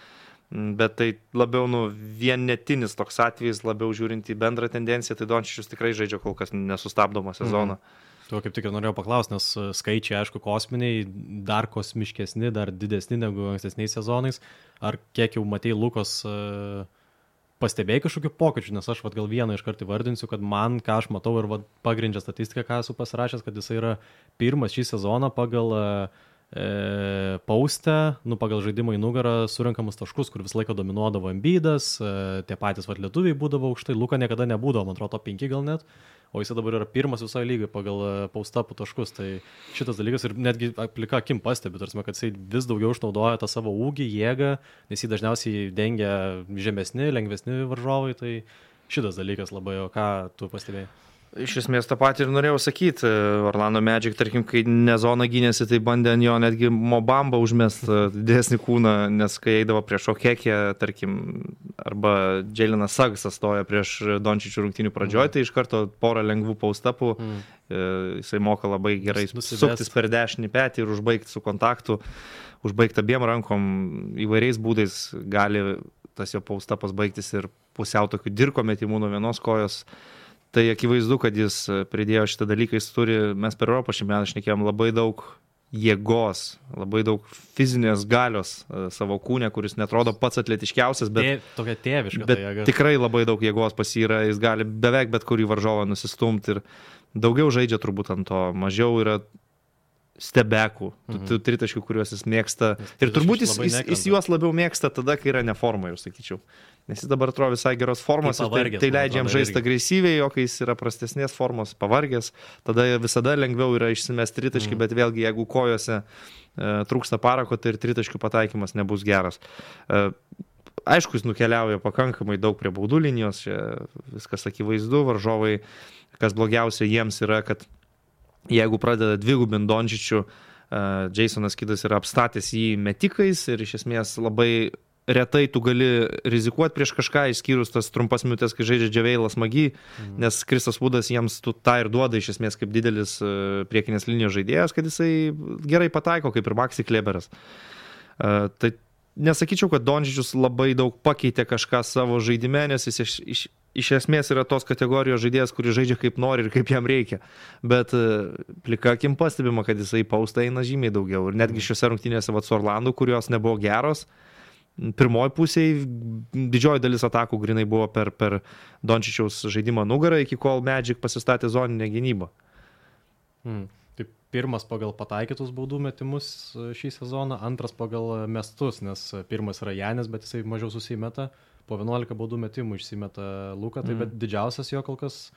bet tai labiau nu, vienetinis toks atvejis, labiau žiūrint į bendrą tendenciją, tai Dončičius tikrai žaidžia kol kas nesustabdomą sezoną. Mhm. Tuo kaip tik ir norėjau paklausti, nes skaičiai, aišku, kosminiai, dar kosmiškesni, dar didesni negu ankstesniais sezonais. Ar kiek jau matei Lukos uh, pastebėjai kažkokių pokyčių, nes aš vat, gal vieną iš kartų vardinsiu, kad man, ką aš matau ir vat, pagrindžia statistiką, ką esu pasirašęs, kad jis yra pirmas šį sezoną pagal uh, e, paustę, nu, pagal žaidimą į nugarą surinkamus taškus, kur visą laiką dominuodavo Embiidas, uh, tie patys vat, lietuviai būdavo aukštai, Luka niekada nebūdavo, man atrodo, penki gal net. O jis dabar yra pirmas visoje lygoje pagal paustapų taškus, tai šitas dalykas ir netgi plika akim pastebi, tarsi, kad jis vis daugiau išnaudoja tą savo ūgį, jėgą, nes jį dažniausiai dengia žemesni, lengvesni varžovai, tai šitas dalykas labai, o ką tu pastebėjai? Iš esmės tą patį ir norėjau sakyti. Orlando Magic, tarkim, kai ne zona gynėsi, tai bandė ant jo netgi Mobamba užmest didesnį kūną, nes kai eidavo prieš Okekį, tarkim, arba Jalenas Suggsas stoja prieš Dončičių rungtynių pradžioje, mm. tai iš karto porą lengvų paustapų, mm. jisai moka labai gerai suktis per dešinį petį ir užbaigti su kontaktu, užbaigti abiem rankom įvairiais būdais gali tas jo paustapas baigtis ir pusiau tokių dirko metimų nuo vienos kojos. Tai akivaizdu, kad jis pridėjo šitą dalyką, jis turi, mes per Europos čempionatą šnekėjom labai daug jėgos, labai daug fizinės galios savo kūne, kuris netrodo pats atletiškiausias, bet, Tė, tokia tėviška, bet tai jėga. Tikrai labai daug jėgos pas jį yra, jis gali beveik bet kurį varžovą nusistumti ir daugiau žaidžia turbūt ant to, mažiau yra stebekų, mhm. tų tritaškių, kuriuos jis mėgsta. Ir turbūt jis, jis, jis juos labiau mėgsta tada, kai yra neforma, jau sakyčiau. Nes jis dabar atrodo visai geros formos, pavargęs, tai, tai leidžia jam žaisti agresyviai, o kai jis yra prastesnės formos, pavargęs, tada visada lengviau yra išsimesti tritaškį, mhm. bet vėlgi, jeigu kojose e, trūksta parako, tai ir tritaškių pataikymas nebus geras. E, aišku, jis nukeliauja pakankamai daug prie baudų linijos, čia viskas akivaizdu, varžovai, kas blogiausia jiems yra, kad jeigu pradeda dvigubint Dončičių, uh, Jasonas Kidas yra apstatęs jį metikais ir iš esmės labai retai tu gali rizikuoti prieš kažką, išskyrus tas trumpas minutės, kai žaidžia Džaveilas Magi, mm. nes Kristas Woodas jiems tu tą ir duoda iš esmės kaip didelis uh, priekinės linijos žaidėjas, kad jisai gerai pataiko, kaip ir Maxi Kleberas. Uh, tai nesakyčiau, kad Dončičius labai daug pakeitė kažką savo žaidime, nes jis iš, iš, iš esmės yra tos kategorijos žaidėjas, kuris žaidžia kaip nori ir kaip jam reikia. Bet plika akim pastebima, kad jisai paustą eina žymiai daugiau. Ir netgi šiuose rungtynėse vat, su Orlandu, kurios nebuvo geros, pirmoji pusėje didžioji dalis atakų grinai buvo per, per Dončičiaus žaidimą nugarą, iki kol Magic pasistatė zoninę gynybą. Hmm. Tai pirmas pagal pataikytus baudų metimus šį sezoną, antras pagal mestus, nes pirmas yra Janis, bet jisai mažiau susimeta, po vienuolika baudų metimų išsimeta Luka, tai mm. bet didžiausias jo kol kas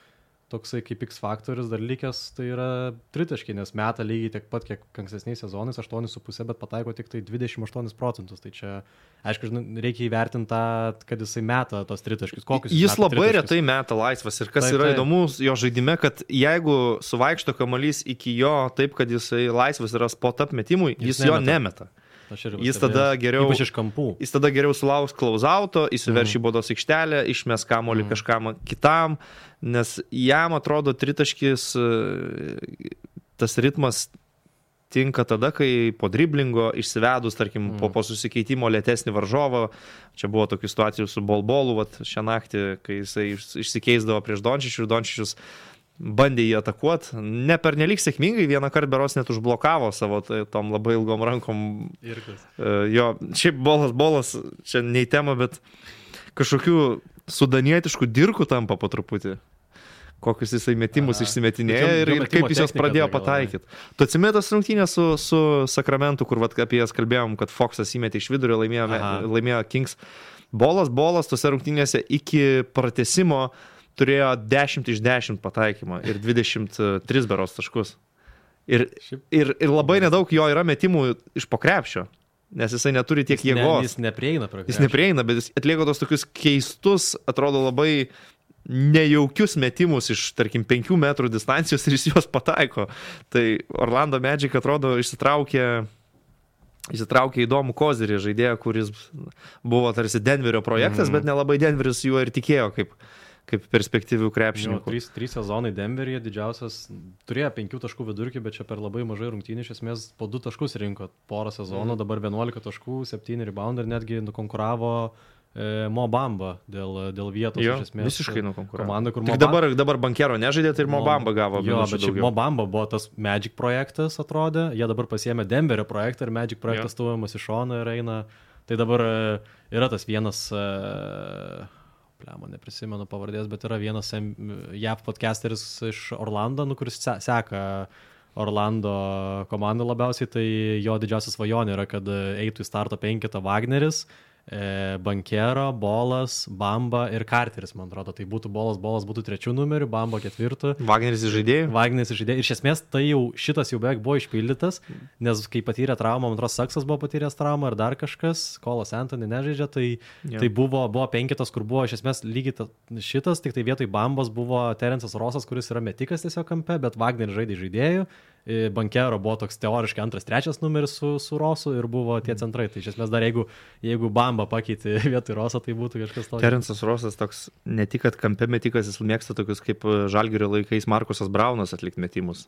toksai kaip X faktorius dar likęs, tai yra tritaškiai, nes meta lygiai tiek pat, kiek ankstesniais sezonais, aštuoni su puse, bet pataiko tik tai dvidešimt aštuonis procentus. Tai čia, aišku, reikia įvertinti tą, kad jisai meta tos tritaškius. Kokius jis labai tritaškius? Retai meta laisvas ir kas tai, yra tai. Įdomu jo žaidime, kad jeigu suvaikšto kamuolys iki jo taip, kad jisai laisvas yra spot-up metimui, jis, jis jo nemeta. Jis tada, geriau, jis tada geriau sulauks close-outo, įsiverš į mm. baudos aikštelę, išmes kamuolį mm. kažkam kitam, nes jam atrodo tritaškis, tas ritmas tinka tada, kai po driblingo išsivedus, tarkim, mm. po, po susikeitimo lėtesnį varžovą, čia buvo tokių situacijų su Bolbolu, vat, šią naktį, kai jisai išsikeisdavo prieš Dončičių ir Dončičius bandė jį atakuoti, ne per nelik sėkmingai, vieną kartą beros net užblokavo savo tai, tom labai ilgom rankom. Uh, jo, šiaip bolas, bolas, čia ne į temą, bet kažkokių sudanietiškų dirkų tampa po truputį. Kokius jisai metimus Aha. išsimetinėja ir, ir kaip jis jos pradėjo pataikyti. Tu atsimeni tas rungtynės su, su Sakramentu, kur vat, apie jas kalbėjom, kad Foxas įmetė iš vidurio, laimėjo, laimėjo Kings. Bolas, bolas tose rungtynėse iki pratęsimo turėjo dešimt iš dešimt pataikymą ir dvidešimt tris beros taškus. Ir, ir, ir labai nedaug jo yra metimų iš po krepšio. nes jisai neturi tiek jis jėgos. Ne, jis neprieina prie krepšio. Jis neprieina, bet jis atlieka tos tokius keistus, atrodo labai nejaukius metimus iš, tarkim, penkių metrų distancijos ir jis juos pataiko. Tai Orlando Magic atrodo išsitraukė, išsitraukė įdomų kozirį žaidėją, kuris buvo tarsi Denverio projektas, mm. bet nelabai Denveris juo ir tikėjo kaip kaip perspektyvių krepšininkų. Trys, trys sezonai Denveryje didžiausias, turėjo penkių taškų vidurkį, bet čia per labai mažai rungtynių, iš esmės po du taškus rinko porą sezonų, mm. dabar vienuolika taškų, septyni reboundai ir netgi nukonkuravo e, Mo Bamba dėl, dėl vietos. Jo, iš esmės, visiškai nukonkuravo. Komanda, kur Tik Mo dabar, dabar Bankero nežaidė, tai ir Mo Bamba gavo. Jo, bet šiaip Mo Bamba buvo tas Magic projektas, atrodė, jie dabar pasiėmė Denverio projektą ir Magic projektas stuviamas iš šono ir eina. Tai dabar e, yra tas vienas... E, Plemo, neprisimenu pavardės, bet yra vienas J A V podcasteris iš Orlando, nu, kuris seka Orlando komandą labiausiai, tai jo didžiausia svajonė yra, kad eitų į starto penketą Wagneris, e, Bankero, Bolas, Bamba ir Carteris, man atrodo. Tai būtų Bolas, Bolas būtų trečių numerių, Bamba ketvirtų. Wagneris žaidėjai? Wagneris žaidėjai. Ir iš esmės tai jau šitas jau beveik buvo išpildytas, nes kai patyrė traumą, man atrodo, Saksas buvo patyręs traumą ir dar kažkas, Kolas Anthony nežaidžia, tai, tai buvo, buvo penketas, kur buvo iš esmės lygiai ta, šitas, tik tai vietoj Bambos buvo Terence'as Rosas, kuris yra metikas tiesiog kampe, bet Wagneris žaidė žaidėjų. Bankero buvo toks teoriškai antras, trečias numeris su, su Rosu ir buvo tie centrai. Tai iš esmės dar jeigu, jeigu Bamba pakeitė vietoj Roso, tai būtų kažkas tokio. Terence'as Rosas toks ne tik, kad kampe metikas, jis mėgsta tokius kaip Žalgirio laikais Markusas Braunas atlikti metimus.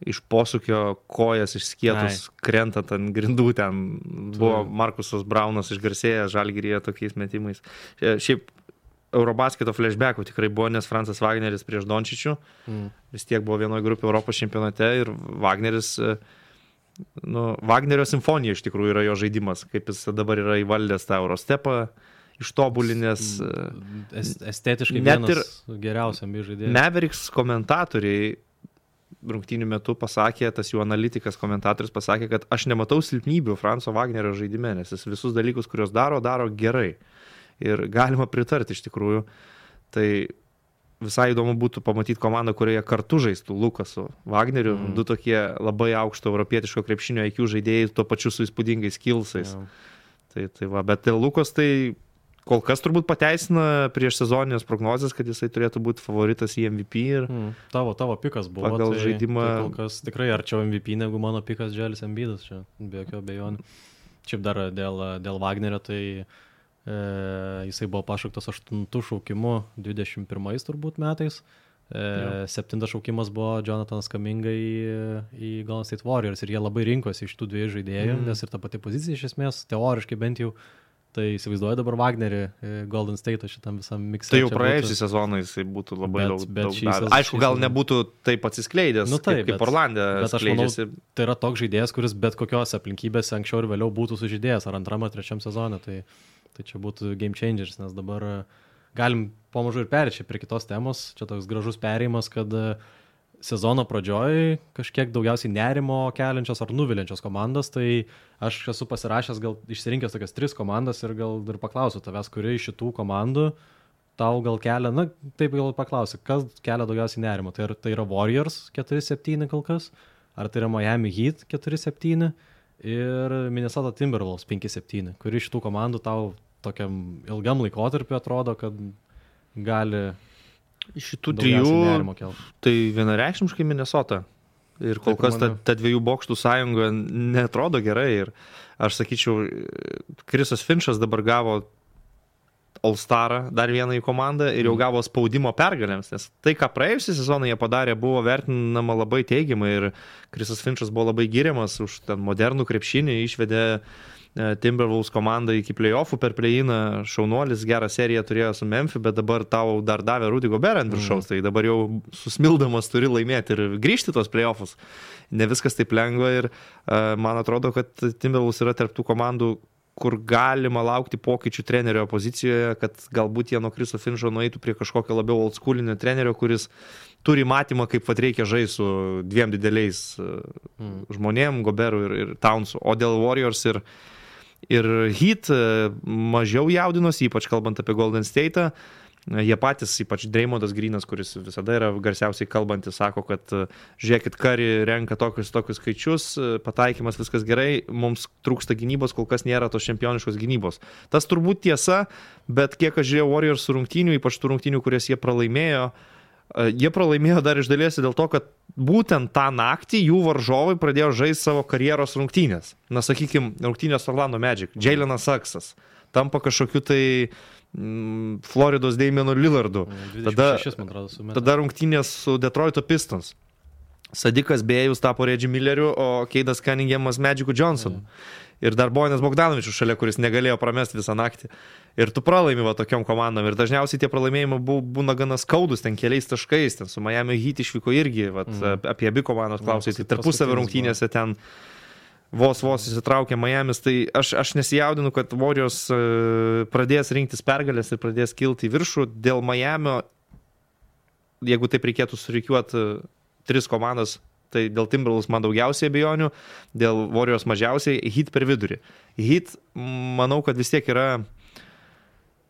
Iš posūkio kojas išskietus Ai. Krentant ant grindų ten buvo Markusas Braunas išgarsėjęs Žalgiryje tokiais metimais. Šiaip Eurobasketo flashbackų tikrai buvo, nes Francas Wagneris prieš Dončičių mm. vis tiek buvo vienoje grupėje Europos čempionate ir Wagneris, nu, Wagnerio simfonija iš tikrųjų yra jo žaidimas, kaip jis dabar yra įvaldęs tą Eurostepą, ištobulinęs. Estetiškai vienas ir geriausiam žaidėjai. Mavericks komentatoriai rungtynių metu pasakė, tas jų analitikas komentatorius pasakė, kad aš nematau silpnybių Franco Wagnerio žaidime, nes jis visus dalykus, kuriuos daro, daro gerai. Ir galima pritarti iš tikrųjų. Tai visai įdomu būtų pamatyti komandą, kurioje kartu žaistų Lukas su Wagneriu. Mm. Du tokie labai aukšto europietiško krepšinio I Q žaidėjai, tuo pačiu su įspūdingais skillsais. Yeah. Tai, tai va, bet Lukas tai kol kas turbūt pateisina prieš sezoninės prognozės, kad jisai turėtų būti favoritas į M V P. Ir mm. Tavo, tavo pikas buvo. Pagal tai, žaidimą. Tai kol kas tikrai arčiau M V P negu mano pikas Dželis Embiidas, čia be jokio abejonių. Šiaip dar dėl, dėl Wagnerio, tai E, jisai buvo pašauktas aštuntų šaukimu dvidešimt pirmais turbūt metais. E, septintas šaukimas buvo Jonathanas Kuminga į, į Golden State Warriors ir jie labai rinkosi iš tų dviejų žaidėjų, mm. nes ir ta pati pozicija iš esmės, teoriškai bent jau, tai įsivaizduoju dabar Wagnerį Golden State šitam visam miksui. Tai jau praėjusį sezoną jisai būtų labai bet, daug, bet daug davęs. Aišku, gal nebūtų taip atsiskleidęs, nu, taip, kaip, kaip Orlande skleidžiasi. Manau, tai yra toks žaidėjas, kuris bet kokios aplinkybėse anksčiau ir vėliau būtų sužaidėjęs, ar antram, ar trečiam sezone. Tai Tai čia būtų game changers, nes dabar galim pamažu ir perėti prie kitos temos. Čia toks gražus perėjimas, kad sezono pradžioj kažkiek daugiausiai nerimo keliančios ar nuviliančios komandos. Tai aš esu pasirašęs, gal išsirinkęs tokias tris komandas ir gal ir paklausiu tavęs, kuri iš šitų komandų tau gal kelia, na taip gal paklausiu, kas kelia daugiausiai nerimo. Tai, tai yra Warriors keturi septyni kol kas, ar tai yra Miami Heat keturi septyni ir Minnesota Timberwolves penki septyni, kuri iš tų komandų tau tokiam ilgam laikotarpiu atrodo, kad gali šitų trijų, tai vienareikšmiškai Minnesota. Ir kol kas ta, ta dviejų bokštų sąjunga netrodo gerai. Ir aš sakyčiau, Chrisas Finchas dabar gavo All-Starą, dar vieną į komandą ir jau gavo spaudimo pergalėms, nes tai, ką praėjusią sezoną jie padarė, buvo vertinama labai teigiamai ir Chrisas Finchas buvo labai giriamas už ten modernų krepšinį, išvedė Timberwolves komandą iki playoffų per play-iną, šaunuolis, gerą seriją turėjo su Memphis, bet dabar tau dar davė Rudy Gobert ant viršaus, mm. tai dabar jau susmildamas turi laimėti ir grįžti tos play-offus. Ne viskas taip lengva ir uh, man atrodo, kad Timberwolves yra tarp tų komandų, kur galima laukti pokyčių trenerio pozicijoje, kad galbūt jie nuo Chriso Fincho nueitų prie kažkokio labiau oldschoolinio trenerio, kuris turi matymą, kaip vat reikia žaisti su dviem dideliais mm. žmonėm, Goberu ir, ir Townsu. O dėl Warriors ir Ir Heat mažiau jaudinos, ypač kalbant apie Golden State'ą. Jie patys, ypač Dreymondas Greenas, kuris visada yra garsiausiai kalbantis, sako, kad žiūrėkit, Curry renka tokius, tokius skaičius, pataikymas viskas gerai, mums trūksta gynybos, kol kas nėra tos čempioniškos gynybos. Tas turbūt tiesa, bet kiek aš žiūrėjau Warriors rungtynių, ypač tų rungtynių, kurias jie pralaimėjo, jie pralaimėjo dar iš dalies dėl to, kad būtent tą naktį jų varžovai pradėjo žaisti savo karjeros rungtynės. Na, sakykime, rungtynės Orlando Magic, Jalenas Saksas, tampa kažkokiu tai Floridos Damianu Lillardu. Tada, tada rungtynės su Detroito Pistons. Sadikas Bėjus tapo Reggie Milleriu, o Keidas Cunninghamas Magicu Johnsonu. Ir dar Bojanas Bogdanovičius šalia, kuris negalėjo pramesti visą naktį. Ir tu pralaimi va tokiom komandom. Ir dažniausiai tie pralaimėjimai būna gana skaudus, ten keliais taškais. Ten su Miami Heat išvyko irgi, vat, mm. apie abi komandos klausai. Tai tarpusavio rungtynėse ten vos vos įsitraukė Miamis, tai aš, aš nesijaudinu, kad Warriors pradės rinktis pergalės ir pradės kilti į viršų. Dėl Miamio, jeigu taip reikėtų surikiuoti tris komandas, tai dėl Timberwolves man daugiausiai abejonių, dėl Warriors mažiausiai, Heat per vidurį. Heat, manau, kad vis tiek yra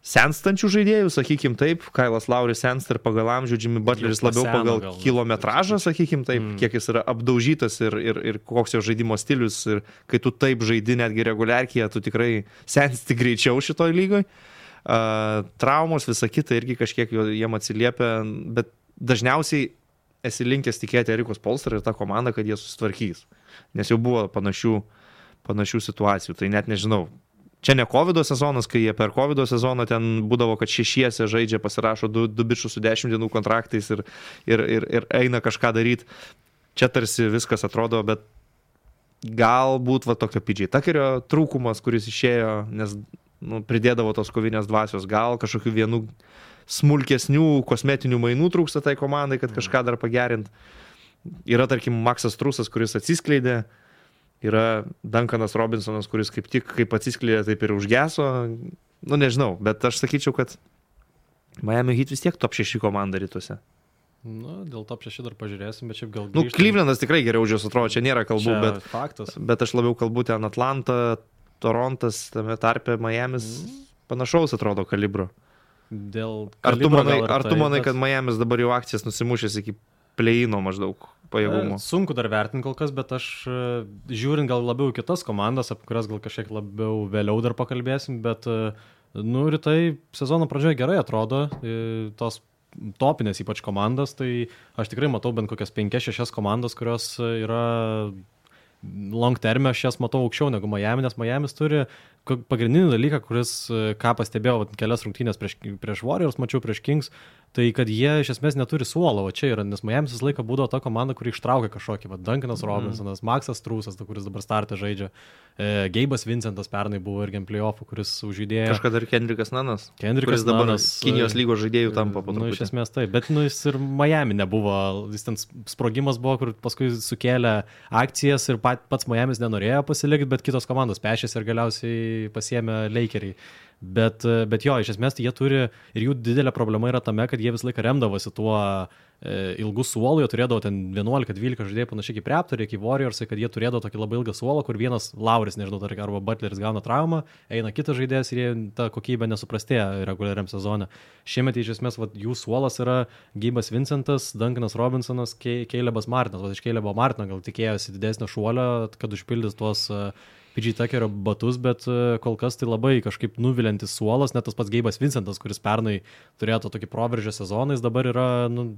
senstančių žaidėjų, sakykim taip, Kailas Lauris sensta ir pagal amžių, Jimmy Butleris labiau pagal gal, kilometražą, sakykim taip, mm. kiek jis yra apdaužytas ir, ir, ir koks jo žaidimo stilius, ir kai tu taip žaidi netgi reguliarkiją, tu tikrai sensti greičiau šitoj lygoj. Uh, traumos, visa kita irgi kažkiek jiem atsiliepia, bet dažniausiai esi linkęs tikėti Erikos Spoelstra ir tą komandą, kad jie susitvarkys, nes jau buvo panašių, panašių situacijų, tai net nežinau. Čia ne kovido sezonas, kai jie per kovido sezoną ten būdavo, kad šešiese žaidžia, pasirašo du, du bičius su dešimt dienų kontraktais ir, ir, ir, ir eina kažką daryti. Čia tarsi viskas atrodo, bet galbūt va tokio P J Tuckerio trūkumas, kuris išėjo, nes nu, pridėdavo tos kovinės dvasios, gal kažkokių vienų smulkesnių kosmetinių mainų trūksta tai komandai, kad kažką dar pagerint. Yra, tarkim, Maksas Trusas, kuris atsiskleidė. Yra Duncanas Robinsonas, kuris kaip tik kaip atsiskleidė, taip ir užgeso. Nu, nežinau, bet aš sakyčiau, kad Miami Heat vis tiek top šeši komanda rytuose. Nu, dėl top šeši dar pažiūrėsim, bet šiaip gal grįžtam. Nu, Clevelandas tikrai geriau už jos atrodo, čia nėra kalbų, čia bet, faktas. Bet aš labiau kalbu ten Atlanta, Torontas, tame tarpe Miamis mm. panašaus atrodo kalibro. Dėl ar tu manai, ar tu tai, manai bet... kad Miamis dabar jau akcijas nusimušęs iki play-ino maždaug pajėgumo? Sunku dar vertinti kol kas, bet aš žiūrint gal labiau kitas komandas, apie kurias gal kažkiek labiau vėliau dar pakalbėsim, bet nu, rytai sezono pradžioje gerai atrodo, tos topinės ypač komandas, tai aš tikrai matau bent kokias penkias šešias komandas, kurios yra long terme, aš jas matau aukščiau negu Miami, nes Miamis turi pagrindinį dalyką, kuris, ką pastebėjau kelias rungtynės prieš, prieš Warriors, mačiau prieš Kings, tai kad jie iš esmės neturi suolo, o čia yra, nes Miamis visą laiką būdavo ta komanda, kuri ištraukia kažkokį, va, Duncanas Robinsonas, mm. Maksas Trusas, kuris dabar startą žaidžia, e, Geibas Vincentas pernai buvo irgi ant playoffų, kuris užžaidėjo. Kažkada ir Kendrickas Nanas, Kendrickas kuris dabar Nanas, Kinijos lygos žaidėjų tampa po truputį. Nu, iš esmės taip, bet nu, jis ir Miami nebuvo, jis ten sprogimas buvo, kur paskui sukėlė akcijas ir pat, pats Miamis nenorėjo pasilikti, bet kitos komandos pešėsi ir galiausiai pasiėmė Lakeriai. Bet, bet jo, iš esmės tai jie turi, ir jų didelė problema yra tame, kad jie visą laiką remdavosi tuo e, ilgų suolų, jie turėdavo ten vienuolika dvylika žaidėjų panašiai kaip Raptoriai, kaip Warriors, kad jie turėdavo tokį labai ilgą suolą, kur vienas Lauris, nežinau, arba Butleris gauna traumą, eina kitas žaidėjas ir jie tą kokybę nesuprastėja reguliariam sezone. Šiemet iš esmės vat, jų suolas yra Geibas Vincentas, Duncanas Robinsonas, Calebas Martinas. Vat iš Calebo Martino gal tikėjosi didesnio šuolio, kad užpildys tuos uh, P J Tuckerio batus, bet kol kas tai labai kažkaip nuvilintis suolas, net tas pats Geibas Vincentas, kuris pernai turėjo tokį proveržę sezoną, jis dabar yra nu,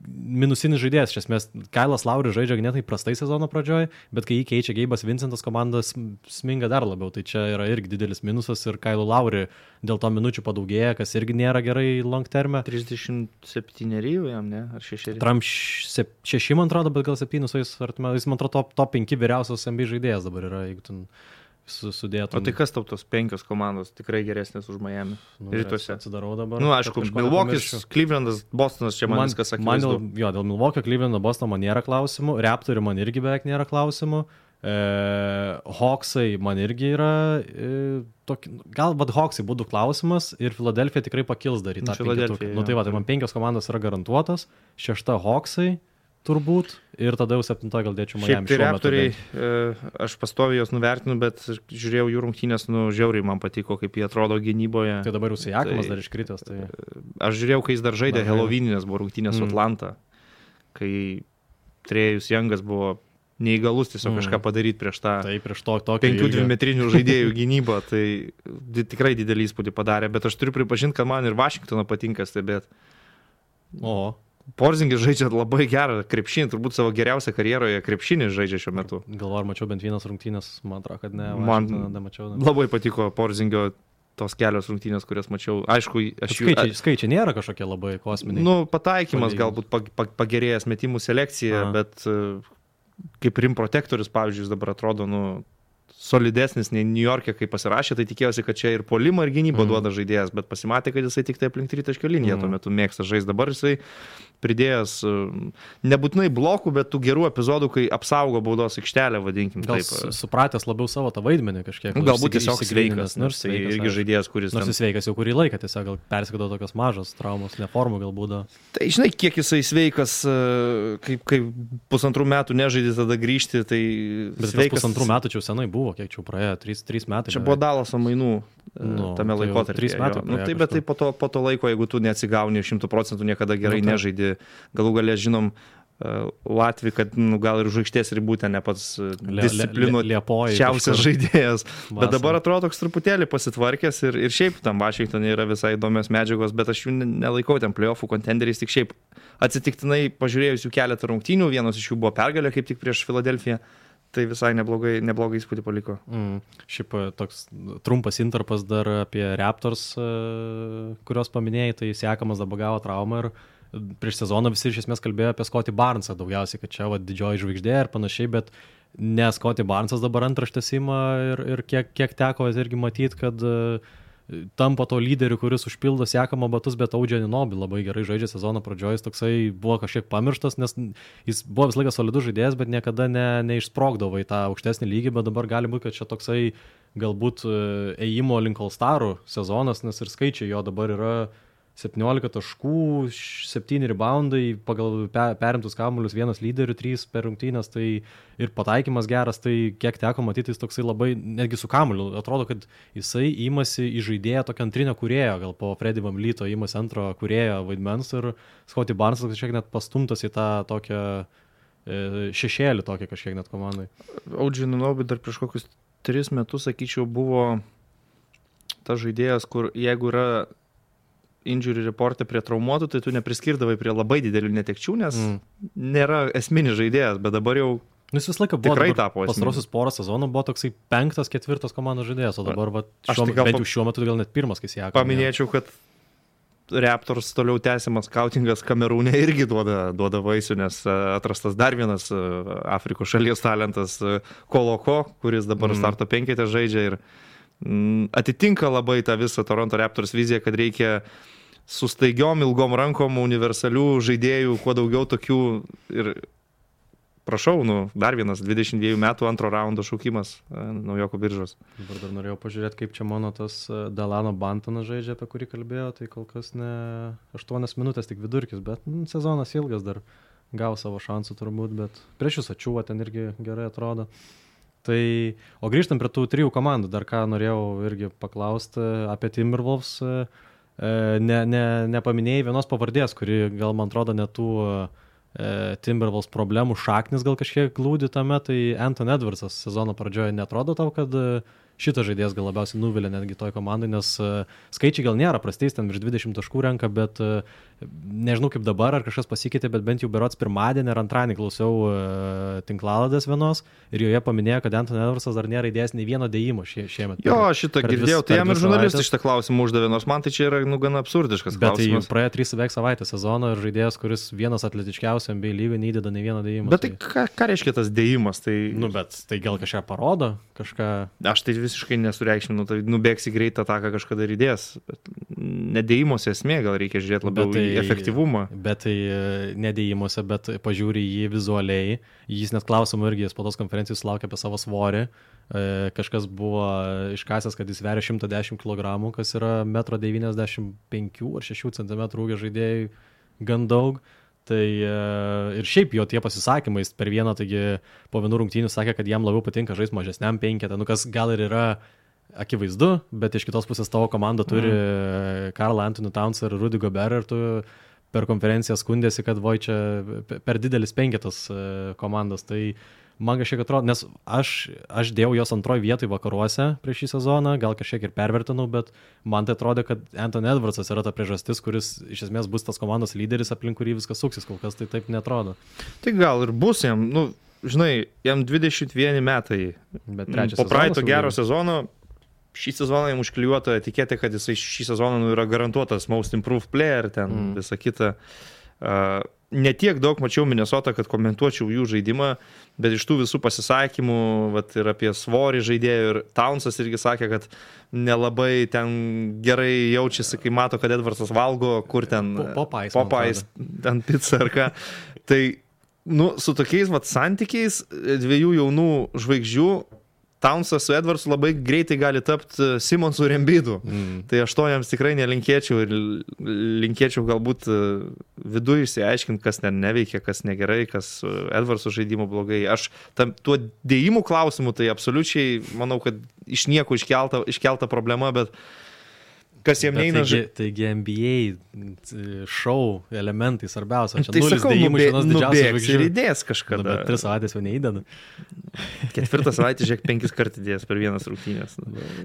minusinis žaidėjas, iš esmės Kailas Lauris žaidžia ganėtinai prastai sezono pradžioj, bet kai jį keičia Geibas Vincentas, komanda sminga dar labiau, tai čia yra irgi didelis minusas ir Kailo Lauri dėl to minučių padaugėja, kas irgi nėra gerai long terme. trisdešimt septyni jam, ne? Ar šeši? Tram šeši, man atrodo, bet gal septyni su jais, jis man atrodo top, top penki vyriausios N B A žaidėjas dabar yra, jeigu ten sudėtum. O tai kas tau tos penkios komandos tikrai geresnės už Miami? Nu, rytuose. Atsidarau dabar. Nu, aišku, Milwaukee'is, Clevelandas, Bostonas, čia man, man viskas akivaizdu. Man dėl, jo, dėl Milwaukee, Clevelando, Bostono man nėra klausimų, Raptorių man irgi beveik nėra klausimų, e, Hawksai man irgi yra, e, tokį, gal vad Hawksai būtų klausimas ir Philadelphia tikrai pakils dar į tą penketuką. Nu tai va, tai man penkios komandos yra garantuotos, šešta Hawksai, turbūt, ir tada jau septintoje gal dėčiau Miami. Šiaip tai Raptoriai, aš pastoviai jos nuvertinu, bet žiūrėjau jų rungtynės, nu, žiauriai man patiko, kaip jie atrodo gynyboje. Tai dabar jau Siakamas tai, dar iškritęs. Tai... Aš žiūrėjau, kai jis dar žaidė Halloweeninės, buvo rungtynės su mm. Atlanta, kai Trėjus Jangas buvo neįgalus tiesiog mm. kažką padaryti prieš tą tai, prieš to, penkių dvimetrinių žaidėjų gynybą, tai di, tikrai didelį įspūdį padarė, bet aš turiu pripažinti, kad man ir Vašingtoną patinka stebėti. O. Porzingis žaidžia labai gerą krepšinį, turbūt savo geriausią karjeroje krepšinį žaidžia šiuo metu. Galvoju, ar mačiau bent vienas rungtynės, man atrodo, kad ne. Man nemačiau, ne. Labai patiko Porzingio tos kelios rungtynės, kurias mačiau. Aišku, aš jų... Skaičiai, skaičiai nėra kažkokie labai kosminiai. Nu, pataikymas galbūt pagerėjęs metimų selekcija, Aha. bet kaip rim protektorius, pavyzdžiui, dabar atrodo, nu, solidesnis nei New York'e, kai pasirašė, tai tikėjausi, kad čia ir puolimą, ir gynybą mm. duoda žaidėjas, bet pasimatė, kad jisai tik tai aplink tritaškio liniją mm. tuo metu mėgsta žaisti. Dabar jisai pridėjęs nebūtinai blokų, bet tų gerų epizodų, kai apsaugo baudos aikštelę, vadinkim. Gal taip. Supratęs labiau savo tą vaidmenį kažkiek. Galbūt tiesiog sveikas, nors tai irgi žaidėjas, kuris... Nors jis sveikas jau kurį laiką, tiesiog gal persikado tokios mažos traumos, neformų galbūt. Tai žinai, kiek jisai sveikas, kaip, kaip pusantrų metų nežaidė, tada grįžti, tai... Bet sveikas... pusantrų metų čia senai buvo, kiek čia praėjo, trys metai. Čia buvo Dalaso mainų nu, tame tai laikotarpyje. trys metai. Nu, tai, bet tai po to, po to laiko, jeigu tu neatsigauni šimtų procentų niekada gerai nu, nežaidi, galų galę žinom Latvijai, kad nu, gal ir žvaigždės ribų ten ne pats disciplinų šiausias žaidėjas. Vasarą. Bet dabar atrodo toks truputėlį pasitvarkęs ir, ir šiaip tam Vašingtonė yra visai įdomios medžiagos, bet aš jų nelaikau ten playoffų kontenderiais, tik šiaip atsitiktinai pažiūrėjus jų keletą rungtynių, vienos iš jų buvo pergalė kaip tik prieš Filadelfiją. Tai visai neblogai, neblogai įspūdį paliko. Mm. Šiaip toks trumpas interpas dar apie Raptors, kurios paminėjai, tai Siakamas dabar gavo traumą ir prieš sezoną visi iš esmės kalbėjo apie Scotty Barnesą daugiausiai, kad čia va, didžioji žvaigždė ir panašiai, bet ne Scotty Barnesas dabar antraštės ima ir, ir kiek, kiek teko irgi matyti, kad tampa to lyderiu, kuris užpildo Siakamo batus, bet Audžia Anunoby labai gerai žaidžia sezono pradžioje, jis toksai buvo kažkiek pamirštas, nes jis buvo visą laiką solidus žaidėjas, bet niekada ne, neišsprogdavo į tą aukštesnį lygį, bet dabar gali būti, kad čia toksai galbūt ėjimo link All-Starų sezonas, nes ir skaičiai jo dabar yra septyniolika taškų, septyni reboundai, pagal perimtus kamuolius vienas lyderių, trys per rungtynes, tai ir pataikymas geras, tai kiek teko matyti, jis toksai labai, netgi su kamuoliu, atrodo, kad jisai įmasi į žaidėją tokią antrinę kūrėją, gal po Freddy VanVleeto įmasi antro kūrėjo vaidmens ir Scotty Barnesas kažkiek net pastumtas į tą tokią šešėlį tokią kažkiek net komandai. Audžia Anunoby dar prieš kokius tris metus, sakyčiau, buvo tas žaidėjas, kur jeigu yra injury reporte prie traumuotų, tai tu nepriskirdavai prie labai didelių netekčių, nes mm. nėra esminis žaidėjas, bet dabar jau jis visą laiką buvo, tikrai tapo esminis. Pastarosius porą sezonų buvo toksai penktas, ketvirtas komandos žaidėjas, o dabar va, šiuo, tai bent jau šiuo metu gal net pirmas, kai Siakamas. Paminėčiau, kad Raptors toliau tęsiamas skautingas Kamerūne irgi duoda, duoda vaisių, nes atrastas dar vienas Afrikos šalies talentas Koloko, kuris dabar mm. starto penketę žaidžia ir mm, atitinka labai tą visą Toronto Raptors viziją, kad reikia su staigiom ilgom rankom universalių žaidėjų, kuo daugiau tokių ir prašau, nu, dar vienas dvidešimt dviejų metų antro raundo šaukimas naujokų biržos. Dabar dar norėjau pažiūrėti, kaip čia mano tas Delano Bantonas žaidžia, apie kurį kalbėjo, tai kol kas ne aštuonias minutės tik vidurkis, bet nu, sezonas ilgas dar gavo savo šansų turbūt, bet prieš jūs Ačiūva ten irgi gerai atrodo. Tai, o grįžtam prie tų trijų komandų, dar ką norėjau irgi paklausti apie Timberwolves. Ne, ne, nepaminėjai vienos pavardės, kuri gal man atrodo net tų e, Timberwolves problemų šaknis gal kažkiek glūdi tame, tai Anthony Edwardsas sezono pradžioje netrodo tau, kad šitas žaidėjas gal labiausiai nuvilia netgi toj komandai, nes skaičiai gal nėra prastais, ten virš dvidešimt taškų renka, bet nežinau kaip dabar, ar kažkas pasikeitė, bet bent jau berods pirmadienį ar antradienį klausiau tinklaladės vienos ir joje paminėjo, kad Anthony Edwardsas dar nėra įdėjęs nei vieno dėjimo šie, šiemet. Jo, šitą girdėjau, tai jam ir žurnalistai šitą klausimą uždavė, nors man tai čia yra nu, gana absurdiškas bet klausimas. Bet tai praėjo trys beveik savaitės sezono ir žaidėjas, kuris vienas atletiškiausių N B A lygoje neįdeda nei vieno dėjimo. Bet tai, tai ką, ką reiškia tas dėjimas? Tai... Nu, bet tai gal kažką parodo, kažką... Aš tai visiškai nesureikšminu, tai nubėgsi greitą ataką kažkada ir įdės. Nedėjimuose esmė, gal reikia žiūrėti labiau tai, į efektyvumą. Bet tai nedėjimuose, bet pažiūri jį vizualiai. Jis net klausimų irgi po tos konferencijos sulaukė apie savo svorį. Kažkas buvo iškasęs, kad jis sveria šimtą dešimt kilogramų, kas yra metro devyniasdešimt penkių ar šešių centimetrų ūgio žaidėjai gan daug. Tai ir šiaip jo tie pasisakymai per vieną, taigi po vienų rungtynių sakė, kad jam labiau patinka žaisti mažesniam penketą, nu kas gal ir yra akivaizdu, bet iš kitos pusės tavo komanda turi mm. Karl Anthony Towns ir Rudy Gobert ir tu per konferenciją skundėsi, kad voi čia per didelis penketas komandos, tai man kažkiek atrodo, nes aš, aš dėjau jos antroj vietoj vakaruose prieš šį sezoną, gal kažkiek ir pervertinau, bet man tai atrodo, kad Anthony Edwardsas yra ta priežastis, kuris iš esmės bus tas komandos lyderis, aplink kurį viskas suksis, kol kas tai taip netrodo. Tai gal ir bus jam, nu, žinai, jam dvidešimt vieneri metai, po praeito gero sezono, šį sezoną jam užklijuota etiketė, kad jisai šį sezoną nu, yra garantuotas most improved player, ten mm. visa kita. Uh, Netiek daug mačiau Minnesotą, kad komentuočiau jų žaidimą, bet iš tų visų pasisakymų vat, ir apie svorį žaidėjų, ir Townsas irgi sakė, kad nelabai ten gerai jaučiasi, kai mato, kad Edwardsas valgo, kur ten Popeyes, Popeyes ten pizza ar ką. Tai nu, su tokiais vat, santykiais dviejų jaunų žvaigždžių Townsas su Edwardsu labai greitai gali tapti Simonsu ir Embiidu. Mm. Tai aš to jiems tikrai nelinkėčiau ir linkėčiau galbūt viduje išsiaiškinti, kas ten neveikia, kas negerai, kas Edwardsu žaidimo blogai. Aš tam, tuo dėjimų klausimu tai absoliučiai manau, kad iš nieko iškelta, iškelta problema, bet kas jiem neina žaisti. Taigi N B A šou elementai svarbiausia. Čia tai nulis sakau, dėjimų iš vienos didžiausios žvaigždžių. Ir įdės kažkada. Nu, bet tris savaitės jau neįdeda. Ketvirtą savaitę, žiūrėk, penkis kart įdės per vienas rungtynės.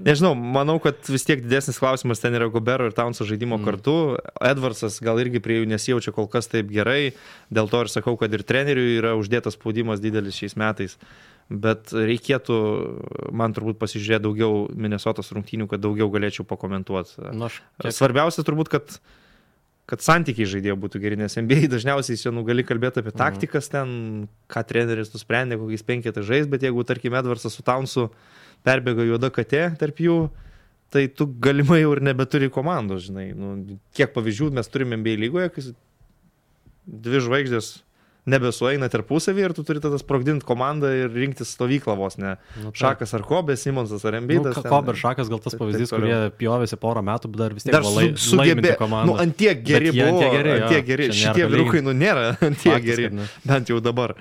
Nežinau, manau, kad vis tiek didesnis klausimas ten yra Gobero ir Townso žaidimo mm. kartu. Edwardsas gal irgi prie jų nesijaučia kol kas taip gerai. Dėl to ir sakau, kad ir treneriui yra uždėtas spaudimas didelis šiais metais. Bet reikėtų, man turbūt pasižiūrėti daugiau Minnesotos rungtynių, kad daugiau galėčiau pakomentuoti. Nu, aš... Svarbiausia turbūt, kad, kad santykiai žaidėjo būtų geri, nes N B A dažniausiai čia nu, gali kalbėti apie taktikas ten, ką treneris nusprendė, kokiais penketą žais, bet jeigu, tarkim, Edwardsas su Townsu perbėga juoda katė tarp jų, tai tu galimai jau ir nebeturi komandos, žinai. Nu, kiek pavyzdžių mes turime N B A lygoje, kai dvi žvaigždės nebesueina tarpusavį ir tu turi tada sprogdinti komandą ir rinktis stovyklą vos, ne? Nu, Šakas ar Kobe, Simonsas ar Embiidas. Nu, Kobe ir Šakas gal tas pavyzdys, kurie pjovėsi porą metų, bet dar vis tiek dar lai, su, laiminti komandą. Nu, antiek geri buvo, antiek geri, antiek geri. Šitie vyrukai, nu, nėra antiek Faktis, geri, ne. Bent jau dabar.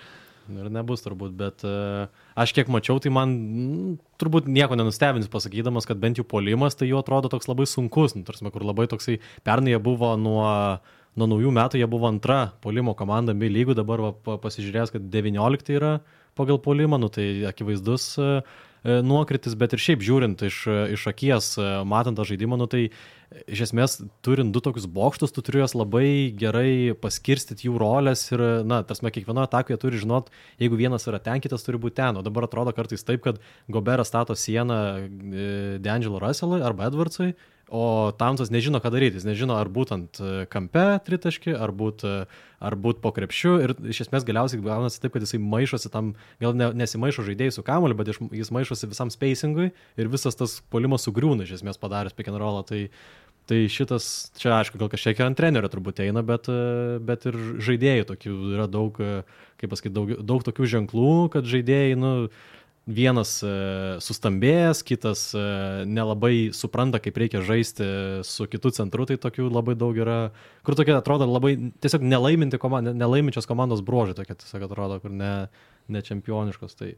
Ir nebus turbūt, bet uh, aš kiek mačiau, tai man m, turbūt nieko nenustebins pasakydamas, kad bent jau puolimas, tai jau atrodo toks labai sunkus, nu, tarsi, kur labai toksai, pernai jie buvo nuo... Nuo naujų metų jie buvo antra puolimo komanda bei lygų, dabar va, pasižiūrėjęs, kad devyniolikta yra pagal puolimą, nu, tai akivaizdus e, nuokritis, bet ir šiaip žiūrint iš, iš akies, matant tą žaidimą, nu, tai iš esmės turint du tokius bokštus, tu turi juos labai gerai paskirstyti jų rolės ir, na, tarsi kiekvienoje atakoje turi žinot, jeigu vienas yra ten, kitas turi būti ten, o dabar atrodo kartais taip, kad Goberas stato sieną D'Angelo Russellui arba Edwardsui, o Townsas nežino, ką daryti, jis nežino, ar būtent kampe tritaškį, ar būt, ar būt po krepšiu ir iš esmės galiausiai gaunasi taip, kad jisai maišosi tam, gal ne, nesimaišo žaidėjai su kamuoliu, bet jis maišosi visam spacingui ir visas tas puolimas sugriūna iš esmės padaręs pick and rollą, tai, tai šitas, čia aišku, gal kažkiek ant trenerio turbūt eina, bet, bet ir žaidėjų tokių yra daug, kaip pasakyti, daug, daug tokių ženklų, kad žaidėjai, nu, vienas e, sustambėjęs, kitas e, nelabai supranta, kaip reikia žaisti su kitu centru, tai tokių labai daug yra, kur tokie atrodo labai tiesiog nelaiminti komand, nelaiminčios komandos bruožai, tokie tiesiog atrodo, kur ne, ne čempioniškos. Tai,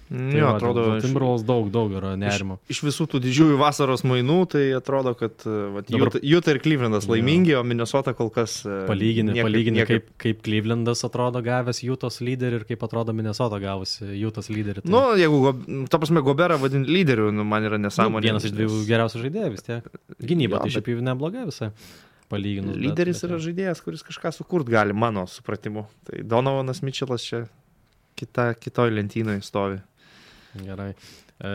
tai jo, va, atrodo, Timberwolves daug, daug yra nerimo. Iš, iš visų tų didžiųjų vasaros mainų, tai atrodo, kad Utah ir Clevelandas laimingi, o Minnesota kol kas palygini, niekaip, palygini niekaip. Kaip, kaip Clevelandas atrodo gavęs Utah's lyderį ir kaip atrodo Minnesota gavusi Utah's lyderį. Tai... Nu, jeigu, ta prasme, Goberą vadinti lyderiu, nu, man yra nesąmonė. Nu, vienas iš dviejų geriausių žaidėjų vis tiek. Gynyba, jo, tai šiaip jau nebloga visai. Palyginus. Lyderis bet, bet, yra žaidėjas, kuris kažką sukurt gali, mano supratimu. Tai Donovanas Mitchellas čia kita, kitoj lentynoje stovi. Gerai. E,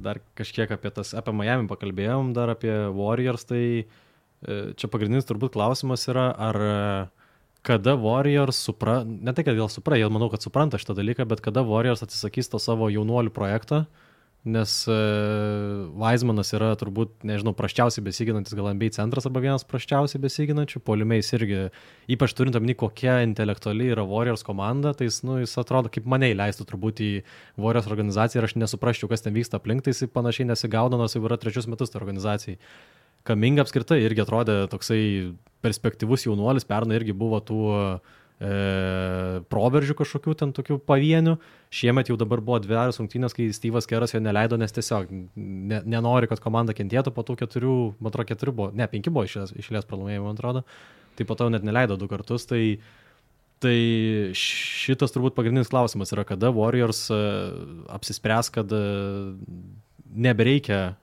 dar kažkiek apie tas, apie Miami pakalbėjom, dar apie Warriors, tai e, čia pagrindinis turbūt klausimas yra, ar kada Warriors supra, ne tai, kad gal supra, jie manau, kad supranta šitą dalyką, bet kada Warriors atsisakys to savo jaunuolių projektą, nes e, Weizmanas yra turbūt, nežinau, praščiausiai besiginantis gal N B A centras arba vienas praščiausiai besiginančių, puolimiais irgi, ypač turint omeny, kokia intelektuali yra Warriors komanda, tai jis, nu, jis atrodo, kaip mane įleistų turbūt į Warriors organizaciją ir aš nesuprasčiau, kas ten vyksta aplink, tai jis panašiai nesigaudo, nors jau yra trečius metus tai organizacijai. Kuminga apskritai irgi atrodė toksai perspektyvus jaunuolis, pernai irgi buvo tų e, proveržių kažkokių ten tokių pavienių. Šiemet jau dabar buvo dvi aras rungtynės, kai Steve'as Keras jo neleido, nes tiesiog ne, nenori, kad komanda kentėtų po tų keturių, man atrodo, keturių buvo, ne, penki buvo išlės, išlės pralaimėjimų, man atrodo, tai po to net neleido du kartus, tai, tai šitas turbūt pagrindinis klausimas yra, kada Warriors apsispręs, kad nebereikia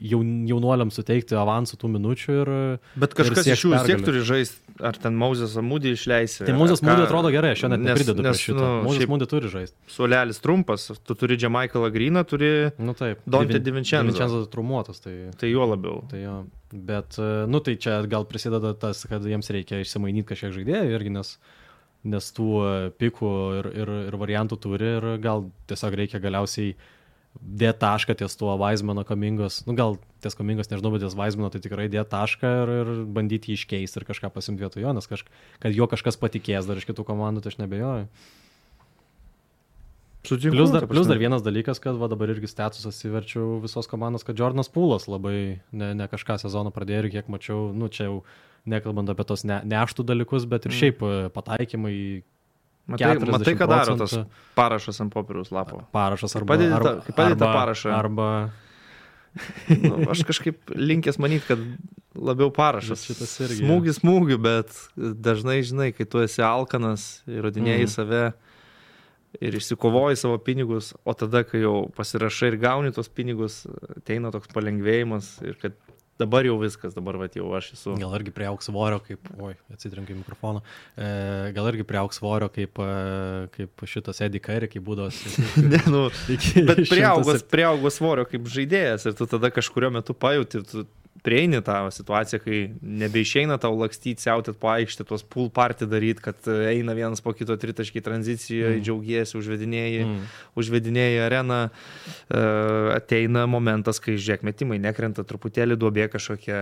jaun, jaunuoliams suteikti avansų tų minučių ir... Bet kažkas iš jų vis tiek turi žaisti, ar ten Moses Moody išleisi. Tai Moses Moody atrodo gerai, aš jo net nepridedu prie šito. Nu, Moses Moody turi žaisti. Suolelis trumpas, tu turi Jamaikalą Greeną, turi nu, taip, Dante DiVincenzo. DiVincenzo trumuotas, tai... Tai jo labiau. Tai jo, bet, nu tai čia gal prisideda tas, kad jiems reikia išsimainyti kažkiek žaidėjų irgi, nes, nes tų pikų ir, ir, ir variantų turi ir gal tiesiog reikia galiausiai dėti tašką ties tuo Weizmano Kamingos, nu gal ties Kamingos, nežinau, bet ties Weizmano tai tikrai dėti tašką ir, ir bandyti jį iškeisti ir kažką pasimti vietoj jo, nes kažk, kad jo kažkas patikės dar iš kitų komandų, tai aš nebejoju. Sutinku, plus, dar, plus dar vienas dalykas, kad va, dabar irgi statusas įverčiau visos komandos, kad Jordanas Poolas labai ne, ne kažką sezoną pradėjo ir kiek mačiau, nu čia jau nekalbant apie tos ne, neštų dalykus, bet ir šiaip pataikymai. Matai, matai, ką daro tas parašas ant popieriaus lapo. Parašas arba... Kaip padėti tą parašą. Arba... nu, aš kažkaip linkęs manyti, kad labiau parašas. Šitas irgi. Smūgis smūgių, bet dažnai, žinai, kai tu esi alkanas, įrodinėjai mm. save ir išsikovoji savo pinigus, o tada, kai jau pasirašai ir gauni tos pinigus, ateina toks palengvėjimas ir kad dabar jau viskas, dabar vat, jau aš esu. Gal irgi priaugs svorio, kaip, oi, atsitrenkiu į mikrofoną, e, gal irgi priaugs svorio, kaip, kaip šitas Eddie Curry, kaip būdos. ne, nu, bet priaugos, priaugos svorio kaip žaidėjas ir tu tada kažkurio metu pajauti, tu prieini tą situaciją, kai nebeišeina tau lakstyti, siautėt po aikštę, tuos pool party daryti, kad eina vienas po kito tritaškiai tranzicijoje, mm. džiaugiesi, užvedinėjai, mm. užvedinėjai areną, uh, ateina momentas, kai žiūrėk metimai nekrenta, truputėlį duobė kažkokia,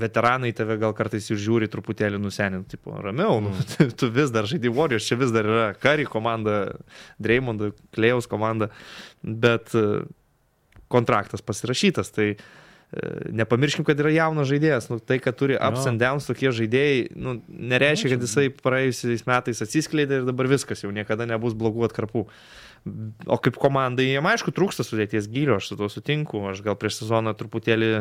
veteranai tave gal kartais ir žiūri truputėlį nusenint, tipo, ramiau, mm. nu, tu vis dar žaidži Warriors, čia vis dar yra Curry komanda, Draymond, Klejaus komanda, bet uh, kontraktas pasirašytas, tai nepamirškim, kad yra jaunas žaidėjas. Nu, tai, kad turi ups and downs tokie žaidėjai, nu, nereiškia, kad jisai praėjusiais metais atsiskleidė ir dabar viskas, jau niekada nebus blogų atkarpų. O kaip komandai, jiem aišku, trūksta sudėties gylio, aš su to sutinku. Aš gal prieš sezoną truputėlį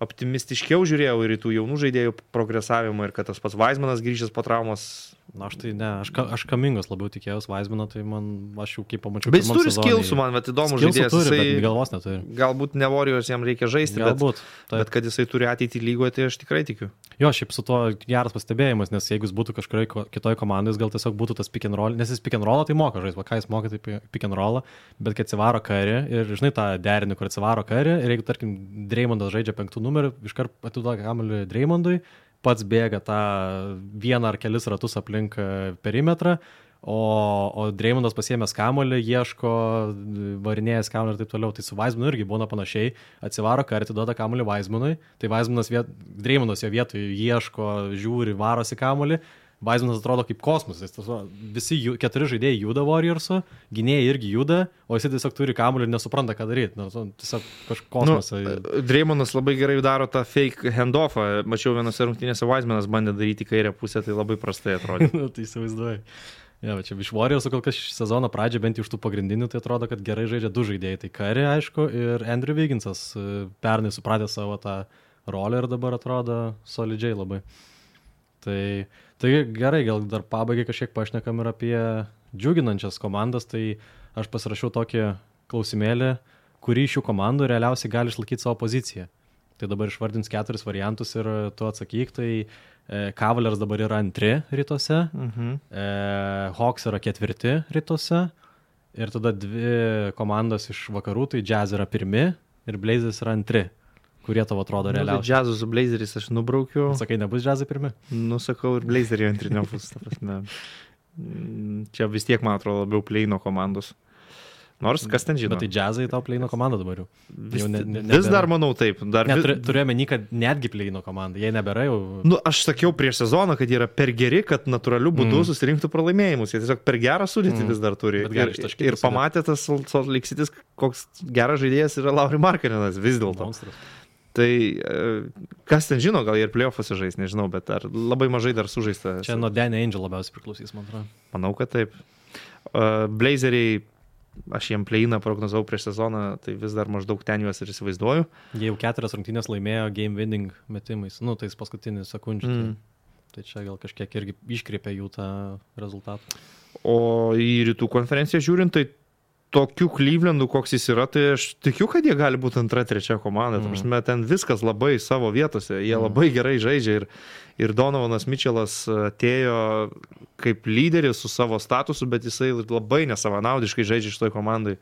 optimistiškiau žiūrėjau ir į tų jaunų žaidėjų progresavimą ir kad tas pats Weizmanas grįžęs po traumos. Na, aš tai ne, aš, aš Kamingos labiau tikėjausi Weizmano, tai man, aš jau kaip pamačiau. Bet jis turi skillsų, man, bet įdomu žaidėjas. Turi, jisai, bet galvos neturi. Galbūt ne Warriors jam reikia žaisti, galbūt, bet, bet kad jisai turi ateitį lygoje, tai aš tikrai tikiu. Jo, šiaip su to geras pastebėjimas, nes jeigu jis būtų kažkurioje kitoje komandoje, gal tiesiog būtų tas pick and roll, nes jis pick and roll tai moka žaisti, va ką jis moka, tai pick and roll, bet kad atsivaro Curry ir žinai tą derinį, kur atsivaro Curry ir jeigu, tarkim, Draymondas žaidžia penktų numerių, iškart atiduoda kamuolį Draymondui, pats bėga tą vieną ar kelis ratus aplink perimetrą, o, o Draymondas pasiėmęs kamuolį, ieško, varinėjęs kamuolį ir taip toliau. Tai su Weizmanu irgi būna panašiai, atsivaro Curry, atiduoda kamuolį Weizmanui, tai Weizmanas viet, Draymondas jo vietoj ieško, žiūri, varosi kamuolį, Weizmanas atrodo kaip kosmosas, visi jų, keturi žaidėjai juda Warriors'u, gynėjai irgi juda, o jis tiesiog turi kamuolį ir nesupranta, ką daryti. Nu, tiesiog kažkoks kosmosas. Nu, Draymondas labai gerai daro tą fake handoffą. Mačiau vienose rungtynėse Weizmanas bandė daryti kairę pusę, tai labai prastai atrodė. Nu, tai įsivaizduoju. Ja, čia iš Warriors'u kol kas sezono pradžio, bent iš tų pagrindinių, tai atrodo, kad gerai žaidžia du žaidėjai. Tai Curry, aišku, ir Andrew Wigginsas pernai supratė savo tą rolę ir dabar atrodo solidžiai labai. Tai, tai gerai, gal dar pabaigai kažkiek pašnekam ir apie džiuginančias komandas, tai aš pasirašiau tokį klausimėlį, kurį šių komandų realiausiai gali išlaikyti savo poziciją. Tai dabar išvardins keturis variantus ir tu atsakyk, tai e, Cavaliers dabar yra antri rytuose, mhm. e, Hawks yra ketvirti rytuose ir tada dvi komandos iš vakarų, tai Jazz yra pirmi ir Blazers yra antri. Kurie tavo atrodo realiausiai? Nu, Jazzų su Blazeriais aš nubraukiu. Sakai, nebus Jazzai pirmi? Nu, sakau, ir Blazeriai antri nebus. Čia vis tiek, man atrodo, labiau pleino komandos. Nors, kas ten žino? Bet tai Jazzai tau pleino komanda dabar jau. Vis, jau ne, ne, vis dar manau taip. Dar ne, turi, turiu omeny, kad netgi pleino komanda. Jei nebėra jau... Nu, aš sakiau prieš sezoną, kad jie yra per geri, kad natūraliu būdu mm. susirinktų pralaimėjimus. Jie tiesiog per gerą sudėtį mm. vis dar turi. Ir, ir pamatė tas Salt Lake City's, koks geras žaidėjas yra Lauri Markkanenas vis dėlto. Monstras. Tai kas ten žino, gal ir play-off'uose žais, nežinau, bet ar labai mažai dar sužaista. Čia nuo Danny Angel labiausiai priklausys, man atrodo. Manau, kad taip. Uh, Blazeriai, aš jiem play-iną prognozavau prieš sezoną, tai vis dar maždaug ten juos ir įsivaizduoju. Jie jau keturias rungtynės laimėjo game winning metimais, nu, tais paskutiniais sekundžių. Mm. Tai, tai čia gal kažkiek irgi iškreipia jų tą rezultatą. O į rytų konferenciją žiūrint, tai tokiu Clevelandu, koks jis yra, tai aš tikiu, kad jie gali būti antra, trečia komanda. Mm. Prasme, ten viskas labai savo vietose, jie mm. labai gerai žaidžia ir, ir Donovanas Mitchellas atėjo kaip lyderis su savo statusu, bet jisai labai nesavanaudiškai žaidžia šitoj komandai.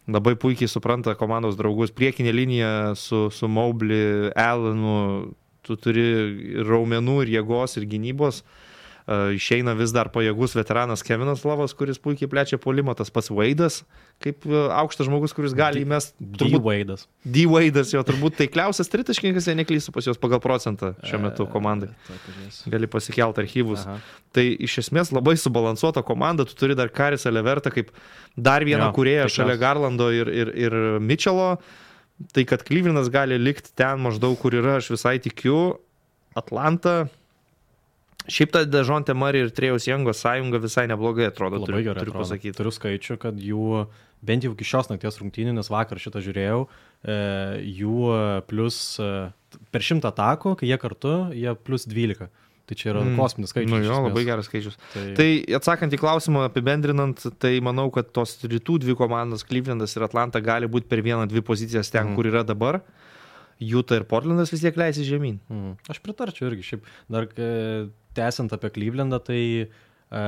Labai puikiai supranta komandos draugus. Priekinė linija su, su Mobley, Allenu, tu turi raumenų ir jėgos ir gynybos. Uh, išeina vis dar pajėgus veteranas Kevinas Lavas, kuris puikiai plečia puolimą, tas pats Wade'as, kaip uh, aukštas žmogus, kuris gali įmest. D-Wade'as. D-Wade'as, jo turbūt taikliausias tritaškininkas, jei neklystu pas juos pagal procentą šiuo metu komandai. Gali pasikelt archyvus. Aha. Tai iš esmės labai subalansuota komanda, tu turi dar Karisą Levertą kaip dar vieną kūrėją šalia Garlando ir, ir, ir Mitchello. Tai kad Clevelandas gali likti ten maždaug, kur yra, aš visai tikiu. Atlanta. Šiaip ta Dejounte Murray ir Trejos Young'o sąjunga visai neblogai atrodo, labai turiu, gerai turiu atrodo. pasakyti. Turiu skaičių, kad jų, bent jau iki šios nakties rungtynių, nes vakar šitą žiūrėjau, e, jų plus e, per šimtą atakų, kai jie kartu, jie plus dvylika. Tai čia yra mm. kosminis skaičius. Nu jo, labai geras skaičius. Tai... tai atsakant į klausimą, apibendrinant, tai manau, kad tos rytų dvi komandos, Clevelandas ir Atlanta, gali būti per vieną, dvi pozicijas ten, mm. kur yra dabar. Utah ir Portlandas vis tiek leisi žemyn. Mm. Aš pritarčiau irgi. Šiaip dar tęsiant apie Clevelandą, tai e,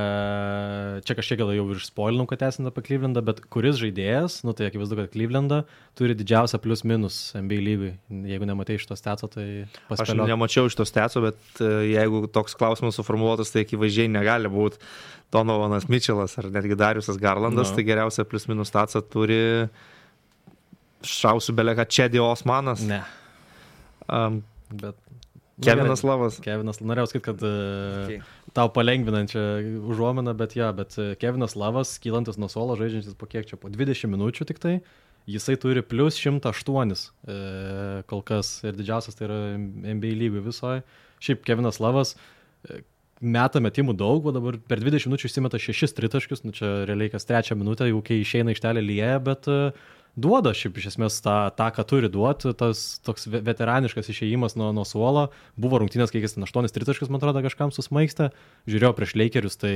čia kažkiek gal jau ir spoilinau, kad tęsiant apie Clevelandą, bet kuris žaidėjas, nu tai akivaizdu, kad Clevelandą turi didžiausią plus minus N B A lygai. Jeigu nematai šito stetso, tai paspėliok. Aš nemačiau šito stetso, bet jeigu toks klausimas suformuoluotas, tai akivaizdžiai negali būti Donovanas Mitchellas ar netgi Dariusas Garlandas, no. Tai geriausia plus minus statsą turi šausiu beleka Čedi Osmanas. Ne. Um, bet Kevinas nu, Lavas. Kevinas, norėjau sakyti, kad okay. Tau palengvinančią užuominą, bet ja, bet Kevinas Lavas, kylantis nuo suolo, žaidžiantis po kiek čia, po dvidešimt minučių tik tai, jisai turi plus šimtas aštuoni e, kol kas ir didžiausias tai yra N B A lygų visoje. Šiaip Kevinas Lavas e, meta metimų daug, o dabar per dvidešimt minučių įsimeta šešis tritaškius, nu čia realiai kas trečią minutę, jau kai išeina aikštelė lieja, bet e, duoda šiaip iš esmės tą, tą ką turi duoti, tas toks veteraniškas išėjimas nuo, nuo suolo. Buvo rungtynės, kai jis ten aštuonis tritaškius, man atrodo, kažkam susmaigstė. Žiūrėjau prieš Lakerius, tai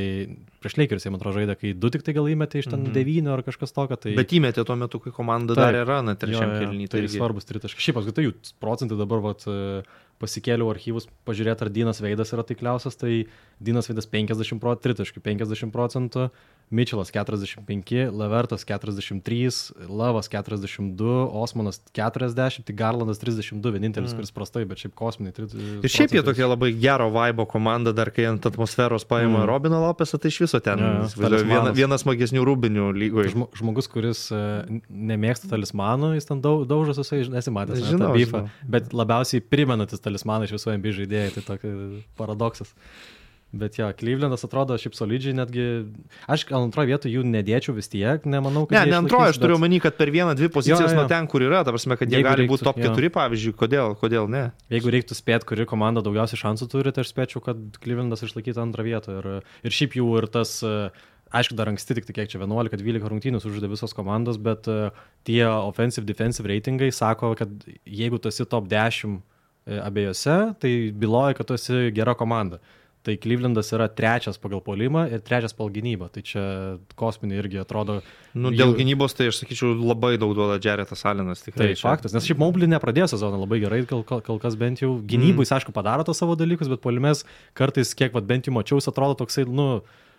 prieš Lakerius jie, man atrodo, žaidė, kai du tik tai gal įmetė iš ten mm-hmm. devynių ar kažkas tokio. Tai... Bet įmetė tuo metu, kai komanda darė raną trečiam kėlinį. Tai irgi svarbus tritaškiai. Šiaip apskritai jų procentai dabar vat, pasikėliau archyvus, pažiūrėti, ar Dinas Veidas yra taikliausias, tai Dinas Veidas penkiasdešimt procentų, tritaškių penkiasdešimt procentų, Mitchellas keturiasdešimt penki, Levertas keturiasdešimt trys, Lavas keturiasdešimt du, Osmanas keturiasdešimt, tai Garlandas trisdešimt du, vienintelis, mm. kuris prastai, bet šiaip kosminiai. Ir šiaip jie tokie labai gero vaibo komanda, dar kai ant atmosferos paima mm. Robiną Lopesą, tai iš viso ten ja, viena, vienas smagesnių rūbinių lygoje. Žmo, žmogus, kuris nemėgsta talismanų, jis ten daug, daužas visai, nesimatęs, ne, žinau, bifą, bet labiausiai primenantis talismaną iš visų N B A žaidėjai, tai tokia paradoksas. Bet jo, ja, Clevelandas atrodo šiaip solidžiai, netgi aš gal antroje vietoje jų nedėčiau vis tiek, nemanau, kad... Ne, ne antroje, aš turiu bet... omeny, kad per vieną, dvi pozicijas jo, jo. Nuo ten, kur yra, ta prasme, kad jie Jeigu gali būti top keturi, pavyzdžiui, kodėl, kodėl ne? Jeigu reiktų spėti, kuri komanda daugiausiai šansų turi, tai aš spėčiau, kad Clevelandas išlaikytų antrą vietą. Ir, ir šiaip jų ir tas, aišku, dar anksti tik kiek čia vienuolika dvylika rungtynių sužaidė visos komandos, bet tie offensive defensive reitingai sako, kad jeigu tu esi top dešimt abiejose, tai byloja, kad tu esi gera komanda. Tai Clevelandas yra trečias pagal puolimą ir trečias pagal gynybą. Tai čia kosminiai irgi atrodo... Nu, dėl jų... gynybos tai aš sakyčiau labai daug duoda Jaretas Allenas. Tai čia. Faktas, nes šiaip Mobley nepradėjo sezoną labai gerai, kol, kol kas bent jau gynybui, mm. aišku, padaro tos savo dalykus, bet puolimės kartais, kiek vat, bent jau mačiau, atrodo toksai, nu,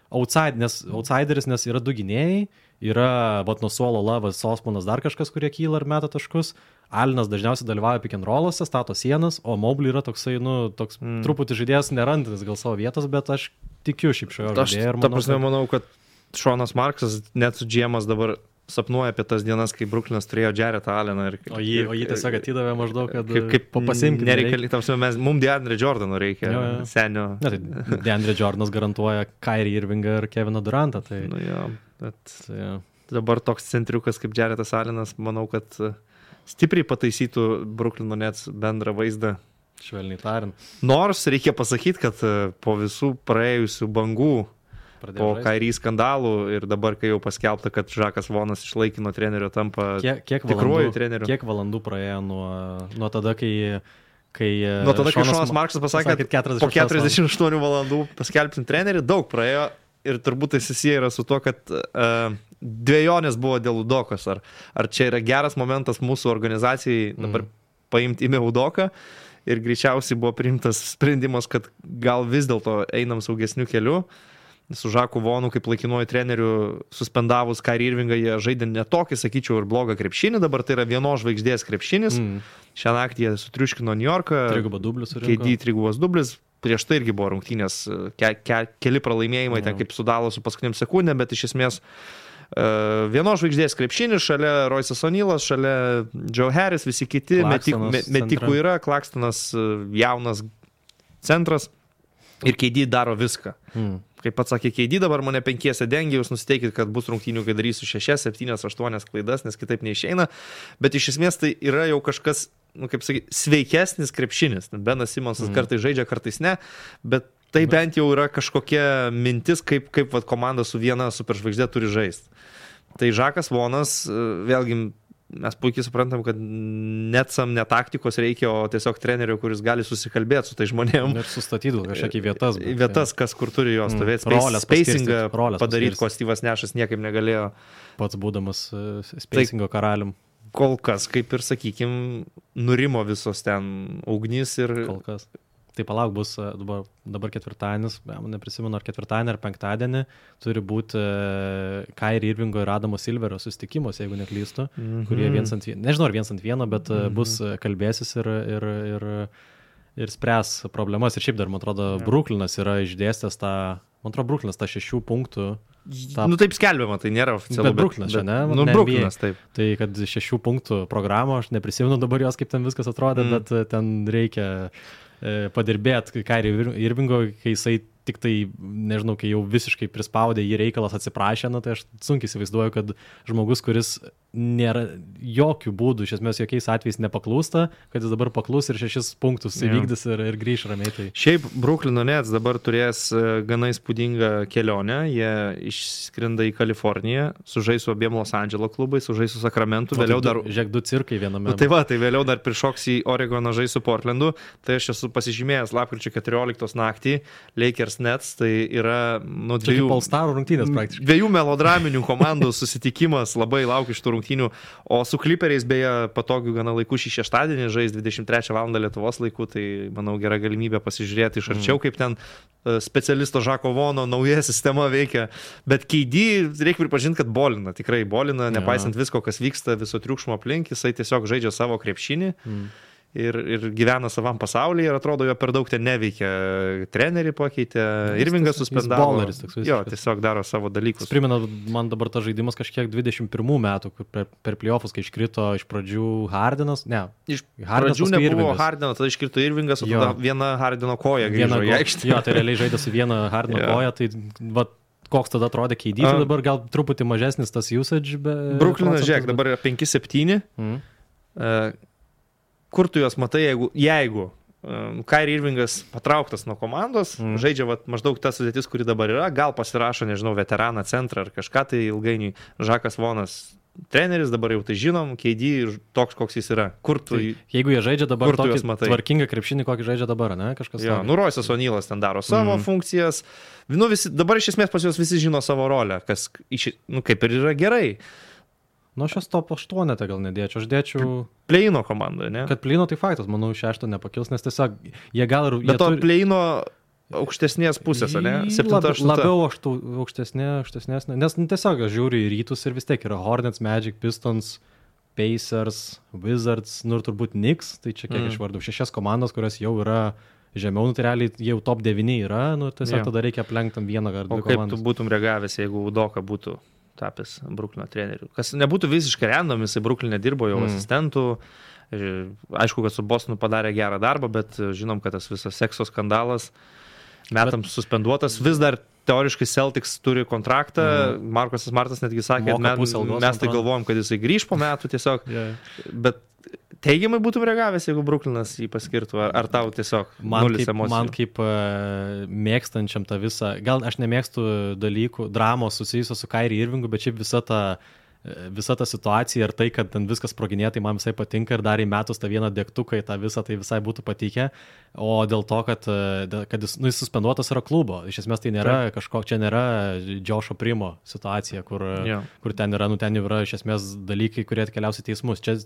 outside, nes, outsideris, nes yra du gynėjai, yra vat, nuo suolo Lavas, Osmanas, dar kažkas, kurie kyla ir meta taškus. Alinas dažniausiai dalyvauja pick and roll'uose, stato sienas, o Mobley yra toksai, nu, toks mm. truputį žaidėjas nerandantis gal savo vietos, bet aš tikiu šiaip šioje žaidėje. Ta prasme, kad... manau, kad Šonas Marksas, net su G M'as dabar sapnuoja apie tas dienas, kai Brooklynas turėjo Jaretą Alleną. Ir, o jį, o jį tiesiog atidavė maždaug, kad kaip, kaip pasiimti. Nereikia, tamsime, mes, mums DeAndre Jordano reikia, jo, jo. Senio. Ne, tai DeAndre Jordanas garantuoja Kyrie Irvingą ir Keviną Durantą. Tai... Nu jo, bet tai, jo. Dabar toks centriukas kaip Jaretas Allenas, manau, kad stipriai pataisytų Brooklyno Nets bendrą vaizdą. Švelniai tariant. Nors reikia pasakyti, kad po visų praėjusių bangų, Pradėjau po Kyrie skandalų ir dabar, kai jau paskelbta, kad Žakas Vonas iš laikino trenerio tampa kiek, kiek tikruoju treneriu. Kiek valandų praėjo nuo, nuo tada, kai... kai nuo tada, kai Šonas Marksas pasakė, kad po keturiasdešimt aštuonių valandų paskelbsim trenerį, daug praėjo ir turbūt tai susiję yra su to, kad uh, dvejonės buvo dėl Udokos. Ar, ar čia yra geras momentas mūsų organizacijai dabar mm. paimti imi Udoką ir greičiausiai buvo priimtas sprendimas, kad gal vis dėlto einam saugesniu keliu. Su Žaku Vonu kaip laikinuoju treneriu suspendavus Kyrie Irvingą, jie žaidė netokį, sakyčiau, ir blogą krepšinį, dabar tai yra vienos žvaigždės krepšinis. Mm. Šią naktį jie sutriuškino New Yorką. Trigubą dublis. K D trigubas dublis. Prieš tai irgi buvo rungtynės, ke, ke, keli pralaimėjimai, mm. ten kaip sudalo su paskutiniam sekundėm, bet iš esmės uh, vienos žvaigždės krepšinis, šalia Royce'as O'Nealas, šalia Joe Harris, visi kiti, metik, me, metikų yra, Klakstonas jaunas centras ir K D daro viską. Mm. Kaip pats sakė K D, dabar mane penkiese dengia, jūs nusiteikit, kad bus rungtynių, kai darysiu šešias, septynias, aštuonias klaidas, nes kitaip neišeina. Bet iš esmės tai yra jau kažkas, nu, kaip sakyti, sveikesnis krepšinis. Benas Simonsas mm. kartais žaidžia, kartais ne, bet tai bet... bent jau yra kažkokia mintis, kaip, kaip vat, komanda su viena superžvaigždė turi žaisti. Tai Žakas Vonas, vėlgi, mes puikiai suprantam, kad net sam ne taktikos reikia, o tiesiog trenerio, kuris gali susikalbėti su tai žmonėm. Ir sustatydų kažkokį vietas. Bet, vietas, kas kur turi jo stovėti. Mm, spacingą padaryti, ko Steve'as Nashas niekaip negalėjo. Pats būdamas spacingo tai, karalium. Kol kas, kaip ir sakykim, nurimo visos ten ugnys ir... Kol kas. Tai palauk, bus dabar, dabar ketvirtadienis, neprisimenu, ar ketvirtadienį, ar penktadienį, turi būti uh, Kyrie Irvingo ir Adamo Silverio susitikimas, jeigu neklystu, mm-hmm. kurie viens ant vieno, nežinau, ar viens ant vieno, bet mm-hmm. bus kalbėsis ir, ir, ir, ir spręs problemas. Ir šiaip dar, man atrodo, yeah. Brooklynas yra išdėstęs tą, man atrodo, Brooklynas tą šešių punktų. Ta... Nu taip skelbiama, tai nėra oficialu. Bet Brooklynas čia, ne? Nu, ne Brooklynas, taip. Tai kad šešių punktų programą, aš neprisimenu dabar jos, kaip ten viskas atrodė, mm. bet ten reikia padirbėti Kyrie Irvingo, kai jisai tik tai, nežinau, kai jau visiškai prispaudė jį reikalas atsiprašė, na, tai aš sunkiai įsivaizduoju, kad žmogus, kuris nėra jokių būdų, iš esmės jokiais atvejais nepaklūsta, kad jis dabar paklūs ir šešis punktus įvykdys ir, ir grįš ramiai. Tai. Šiaip Brooklyno Nets dabar turės gana įspūdingą kelionę, jie išskrinda į Kaliforniją, sužais su abiem Los Andželo klubais, sužais su Sakramentu, o, vėliau tai dar... Žiūrėk, du cirkai viename. Nu, tai va, tai vėliau dar prišoks į Oregoną žais su Portlandu, tai aš esu pasižymėjęs lapkričio keturioliktos naktį, Lakers Nets, tai yra nu, dviejų, rungtynės, dviejų melodraminių komandų susitikimas, labai laukiu šitų rungtynių, o su Clipperiais beje patogių gana laikų šį šeštadienį žais dvidešimt trečią valandą Lietuvos laikų, tai manau gera galimybė pasižiūrėti iš arčiau, mm. kaip ten specialisto Žako Vono nauja sistema veikia, bet K D reikia pripažinti, kad bolina, tikrai bolina, nepaisant ja. Visko, kas vyksta, viso triukšmo aplink, jisai tiesiog žaidžia savo krepšinį. Mm. Ir, ir gyvena savam pasaulyje ir atrodo, jo per daug ten neveikia. Trenerį pakeitė, Irvingas suspendavo. Bowleris toks visiškas. Jo, tiesiog daro savo dalykus. Jis primena, man dabar tas žaidimas kažkiek dvidešimt pirmų metų, kur per, per playoffus, kai iškrito iš pradžių Hardenas. Ne, iš pradžių nebuvo Hardeno, tada iškrito Irvingas, o tada viena Hardeno koja grįžo į aikštę. Jo, tai realiai žaidė su viena Hardeno koja, tai va, koks tada atrodė K D, tai dabar gal truputį mažesnis tas usage. Brooklynas, žiūrėk, dabar yra penki septyni. Mm. Uh, Kur tu juos matai, jeigu, jeigu um, Kyrie Irvingas patrauktas nuo komandos, mm. žaidžia vat, maždaug tas sudėtis, kuri dabar yra, gal pasirašo, nežinau, veteraną centrą ar kažką, tai ilgainiui Žakas Vonas treneris, dabar jau tai žinom, K D toks, koks jis yra. Kur tu, tai, jeigu jie žaidžia dabar tokį tvarkingą krepšinį, kokį žaidžia dabar, ne? Kažkas jo, nu Royce'as O'Nealas ten daro savo mm. funkcijas. Nu, visi, dabar iš esmės pas juos visi žino savo rolę, kas iš, nu, kaip ir yra gerai. Nu, aš jos top aštuonetą gal nedėčiau, aš dėčiau... Pleino komandoje, ne? Kad pleino tai faktas, manau, šešto nepakils, nes tiesiog jie gal ir... Bet to turi... pleino aukštesnės pusės, ne? septinta, aštunta. Labiau aštu, aukštesnė, aukštesnės, nes nu, tiesiog aš žiūriu į rytus ir vis tiek yra Hornets, Magic, Pistons, Pacers, Wizards, nu ir turbūt Knicks, tai čia kiek mm. išvardau, šešias komandos, kurios jau yra žemiau, nu tai realiai jau top devyni yra, nu tiesiog yeah. tada reikia aplenkti vieną ar dvi komandas. O kaip tu būtum reagavęs, jeigu Udoka būtų tapęs Brooklyno treneriu? Kas nebūtų visiškai random, jisai Brooklyne dirbo jau mm. asistentų, aišku, kad su Bostonu padarė gerą darbą, bet žinom, kad tas visas sekso skandalas metams bet... suspenduotas, vis dar teoriškai Celtics turi kontraktą, mm. Markusas Martas netgi sakė, kad mes, mes tai galvojom, kad jisai grįž po metų tiesiog, yeah. bet teigiamai būtum reagavęs, jeigu Brooklynas jį paskirtų, ar, ar tau tiesiog man nulis kaip, emocijų? man kaip uh, mėgstančiam tą visą, gal aš nemėgstu dalykų, dramos susijusios su Kyrie Irvingu, bet šiaip visa ta, visa ta situacija ir tai, kad ten viskas sproginėja, tai man visai patinka ir dar į metus tą vieną degtuką į tą visą, tai visai būtų patikę, o dėl to, kad, kad jis, nu, jis suspenduotas yra klubo, iš esmės tai nėra Taip. kažko, čia nėra Džošo Primo situacija, kur, yeah. kur ten yra, nu ten jau yra iš esmės dalykai, kurie atkeliaus į teismus. Čia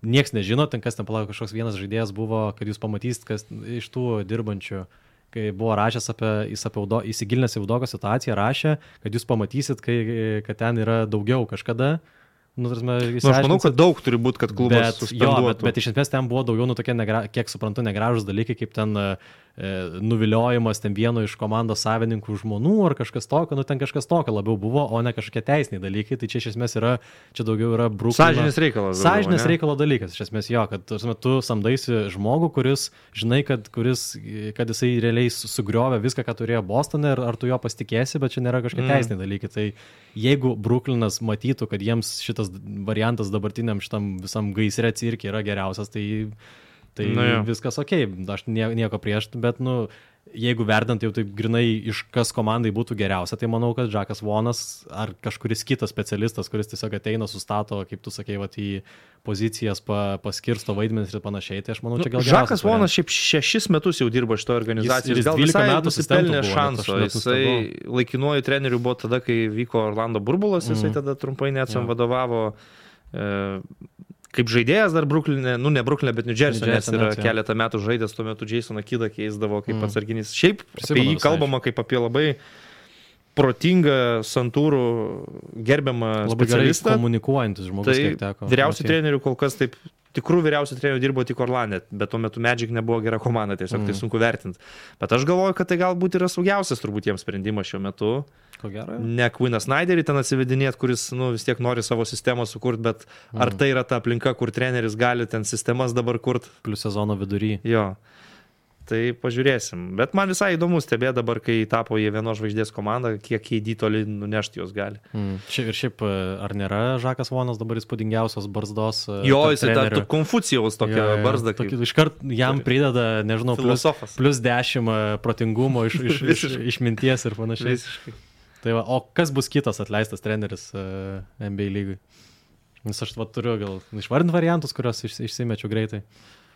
nieks nežino, ten kas ten palaukia, kažkoks vienas žaidėjas buvo, kad jūs pamatysit, kas iš tų dirbančių, kai buvo rašęs apie, jis apie Udo, įsigilinęs į Udoko situaciją, rašė, kad jūs pamatysit, kai, kad ten yra daugiau kažkada. Nu, tarsi, nu, aš manau, kad daug turi būti, kad klubas suspenduotų. Jo, bet, bet iš esmės ten buvo daugiau, nu, tokie, negra, kiek suprantu, negražus dalykai, kaip ten e, nuviliojimas ten vieno iš komandos savininkų žmonų ar kažkas tokio, nu, ten kažkas tokio labiau buvo, o ne kažkokie teisiniai dalykai. Tai čia iš esmės yra, čia daugiau yra Brooklyno. Sąžinės reikalas. Sąžinės reikalo dalykas, iš esmės jo, kad tarsi, tu samdaisi žmogų, kuris, žinai, kad, kuris, kad jisai realiai sugriovė viską, ką turėjo Bostone, ar, ar tu jo pasitikėsi, bet čia nėra kažkokie mm. teisiniai dalykai. Tai jeigu Brooklynas matytų, kad jiems šitas variantas dabartiniam šitam visam gaisre cirke yra geriausias, tai, tai nu, viskas okei, aš nieko prieš, bet nu, jeigu verdant jau taip grinai iš kas komandai būtų geriausia, tai manau, kad Jackas Vonas ar kažkuris kitas specialistas, kuris tiesiog ateina, sustato, kaip tu sakei, vat, į pozicijas, pa, paskirsto vaidmenis ir panašiai, tai aš manau, čia gal geriausias. Jackas Vonas šiaip šešis metus jau dirbo šito organizacijos, jis, gal visai nusipelnė šanso, jisai laikinuoju treneriu buvo tada, kai vyko Orlando burbulas, jisai mm. tada trumpai neatsam ja. vadovavo e, kaip žaidėjas dar Brooklynė, nu ne Brooklynė, bet New Jersey, nes yra net, keletą metų žaidęs, tuo metu Jasoną Kidą keisdavo kaip mm. atsarginis. Šiaip Prisimenu apie jį kalbama kaip apie labai protingą, santūrų, gerbiamą labai specialistą. Labai komunikuojantis žmogus, tai kiek teko. Vyriausių trenerių kol kas taip, tikrų vyriausių trenerių dirbo tik Orlande, bet tuo metu Magic nebuvo gera komanda, tiesiog mm. tai sunku vertinti. Bet aš galvoju, kad tai galbūt yra saugiausias turbūt jiems sprendimas šiuo metu. Ko gero? Ne Quinną Snyderį ten atsivedinėti, kuris nu, vis tiek nori savo sistemą sukurti, bet mm. ar tai yra ta aplinka, kur treneris gali ten sistemas dabar kurti. Plius sezono vidury. Jo. Tai pažiūrėsim. Bet man visai įdomu stebėti dabar, kai tapo jie vienos žvaigždės komanda, kiek K D toli nunešti jos gali. Mm. Šiaip, ir šiaip, ar nėra Jackas Vonas dabar įspūdingiausios barzdos? Jo, jis yra Konfucijaus tokia ja, barzda. Kaip... Iškart jam prideda, nežinau, plus, plus dešimt protingumo iš, iš, iš, išminties ir panašiai. Visiškai. Tai va, o kas bus kitas atleistas treneris uh, N B A lygui? Nes aš va, turiu gal išvardinti variantus, kuriuos iš, išsimečiau greitai.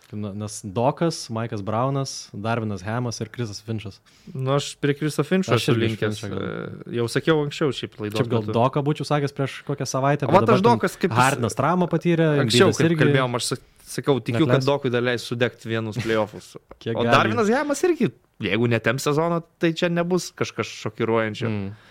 Nes Dokas, Maikas Braunas, Darvinas Hamas ir Krisas Finčas. Nu, aš prie Kriso Finčo esu linkęs. Jau sakiau anksčiau šiaip laidos. Šiaip gal Doką būčiau sakęs prieš kokią savaitę. O aš Dokas kaip... Hardinas traumą patyrė. Anksčiau, kaip irgi... kalbėjom, aš sakau, tikiu, Netleis. Kad Dokui dar leis sudegti vienus playoffus. O gali? Darvinas Hamas irgi, jeigu netemps sezono, tai čia nebus kažkas šokiruojančio. Mm.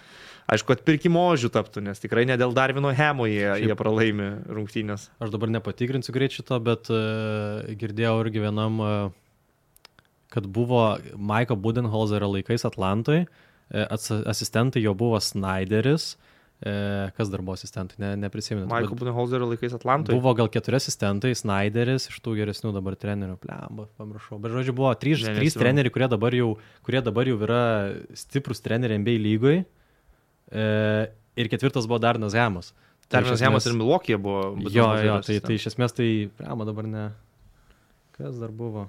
Aišku, atpirkimo ožių taptų, nes tikrai ne dėl Darvino Hamo jie, jie pralaimi rungtynės. Aš dabar nepatikrinsiu greit šito, bet uh, girdėjau irgi vienam, uh, kad buvo Maiko Budenholzerio laikais Atlantoj, uh, asistentai jo buvo Snyderis, uh, kas dar buvo asistentai, ne, neprisimenu. Maiko Budenholzerio laikais Atlantoj? Buvo gal keturi asistentai, Snyderis, iš tų geresnių dabar trenerių, plemba, pamiršau. Bet žodžiu, buvo trys, trys treneriai, kurie dabar, jau, kurie dabar jau yra stiprus treneriai N B A lygoj. E, ir ketvirtas buvo Darvinas Hamas. Darvinas Hamas ir Milwaukee buvo. Jo, jo, tai, tai iš esmės tai, prema dabar ne, kas dar buvo?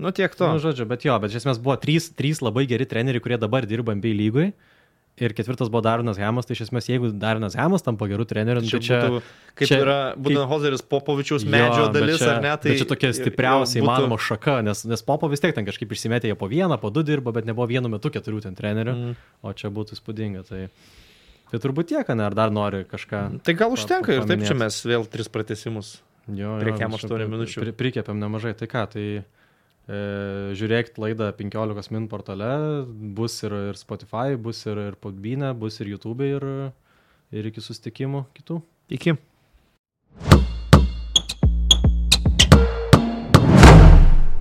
Nu tiek to. Nu, žodžiu, bet jo, bet iš esmės buvo trys, trys labai geri treneriai, kurie dabar dirba N B A lygoj. Ir ketvirtas buvo Darvinas Hamas, tai iš esmės, jeigu Darvinas Hamas tampa gerų trenerių, tai čia... Būtų, kaip čia, yra Budenholzeris Popovičiaus medžio jo, dalis, čia, ar ne? Tai čia tokia stipriausia įmanoma būtų... šaka, nes, nes Popo vis tiek ten kažkaip išsimetė, jie po vieną, po du dirba, bet nebuvo vienu metu keturių ten trenerių, mm. o čia būtų įspūdinga. Tai, tai turbūt tiek, ne? Ar dar nori kažką... Tai gal užtenka ir taip čia mes vėl tris pratęsimus. Jo, prie kem aštuonių minučių. Pri, prikėpėm nemažai, tai ką, tai... E, žiūrėkit laidą penkiolikos min portale, bus ir, ir Spotify, bus ir, ir Podbeane, bus ir YouTube ir, ir iki susitikimų kitų. Iki.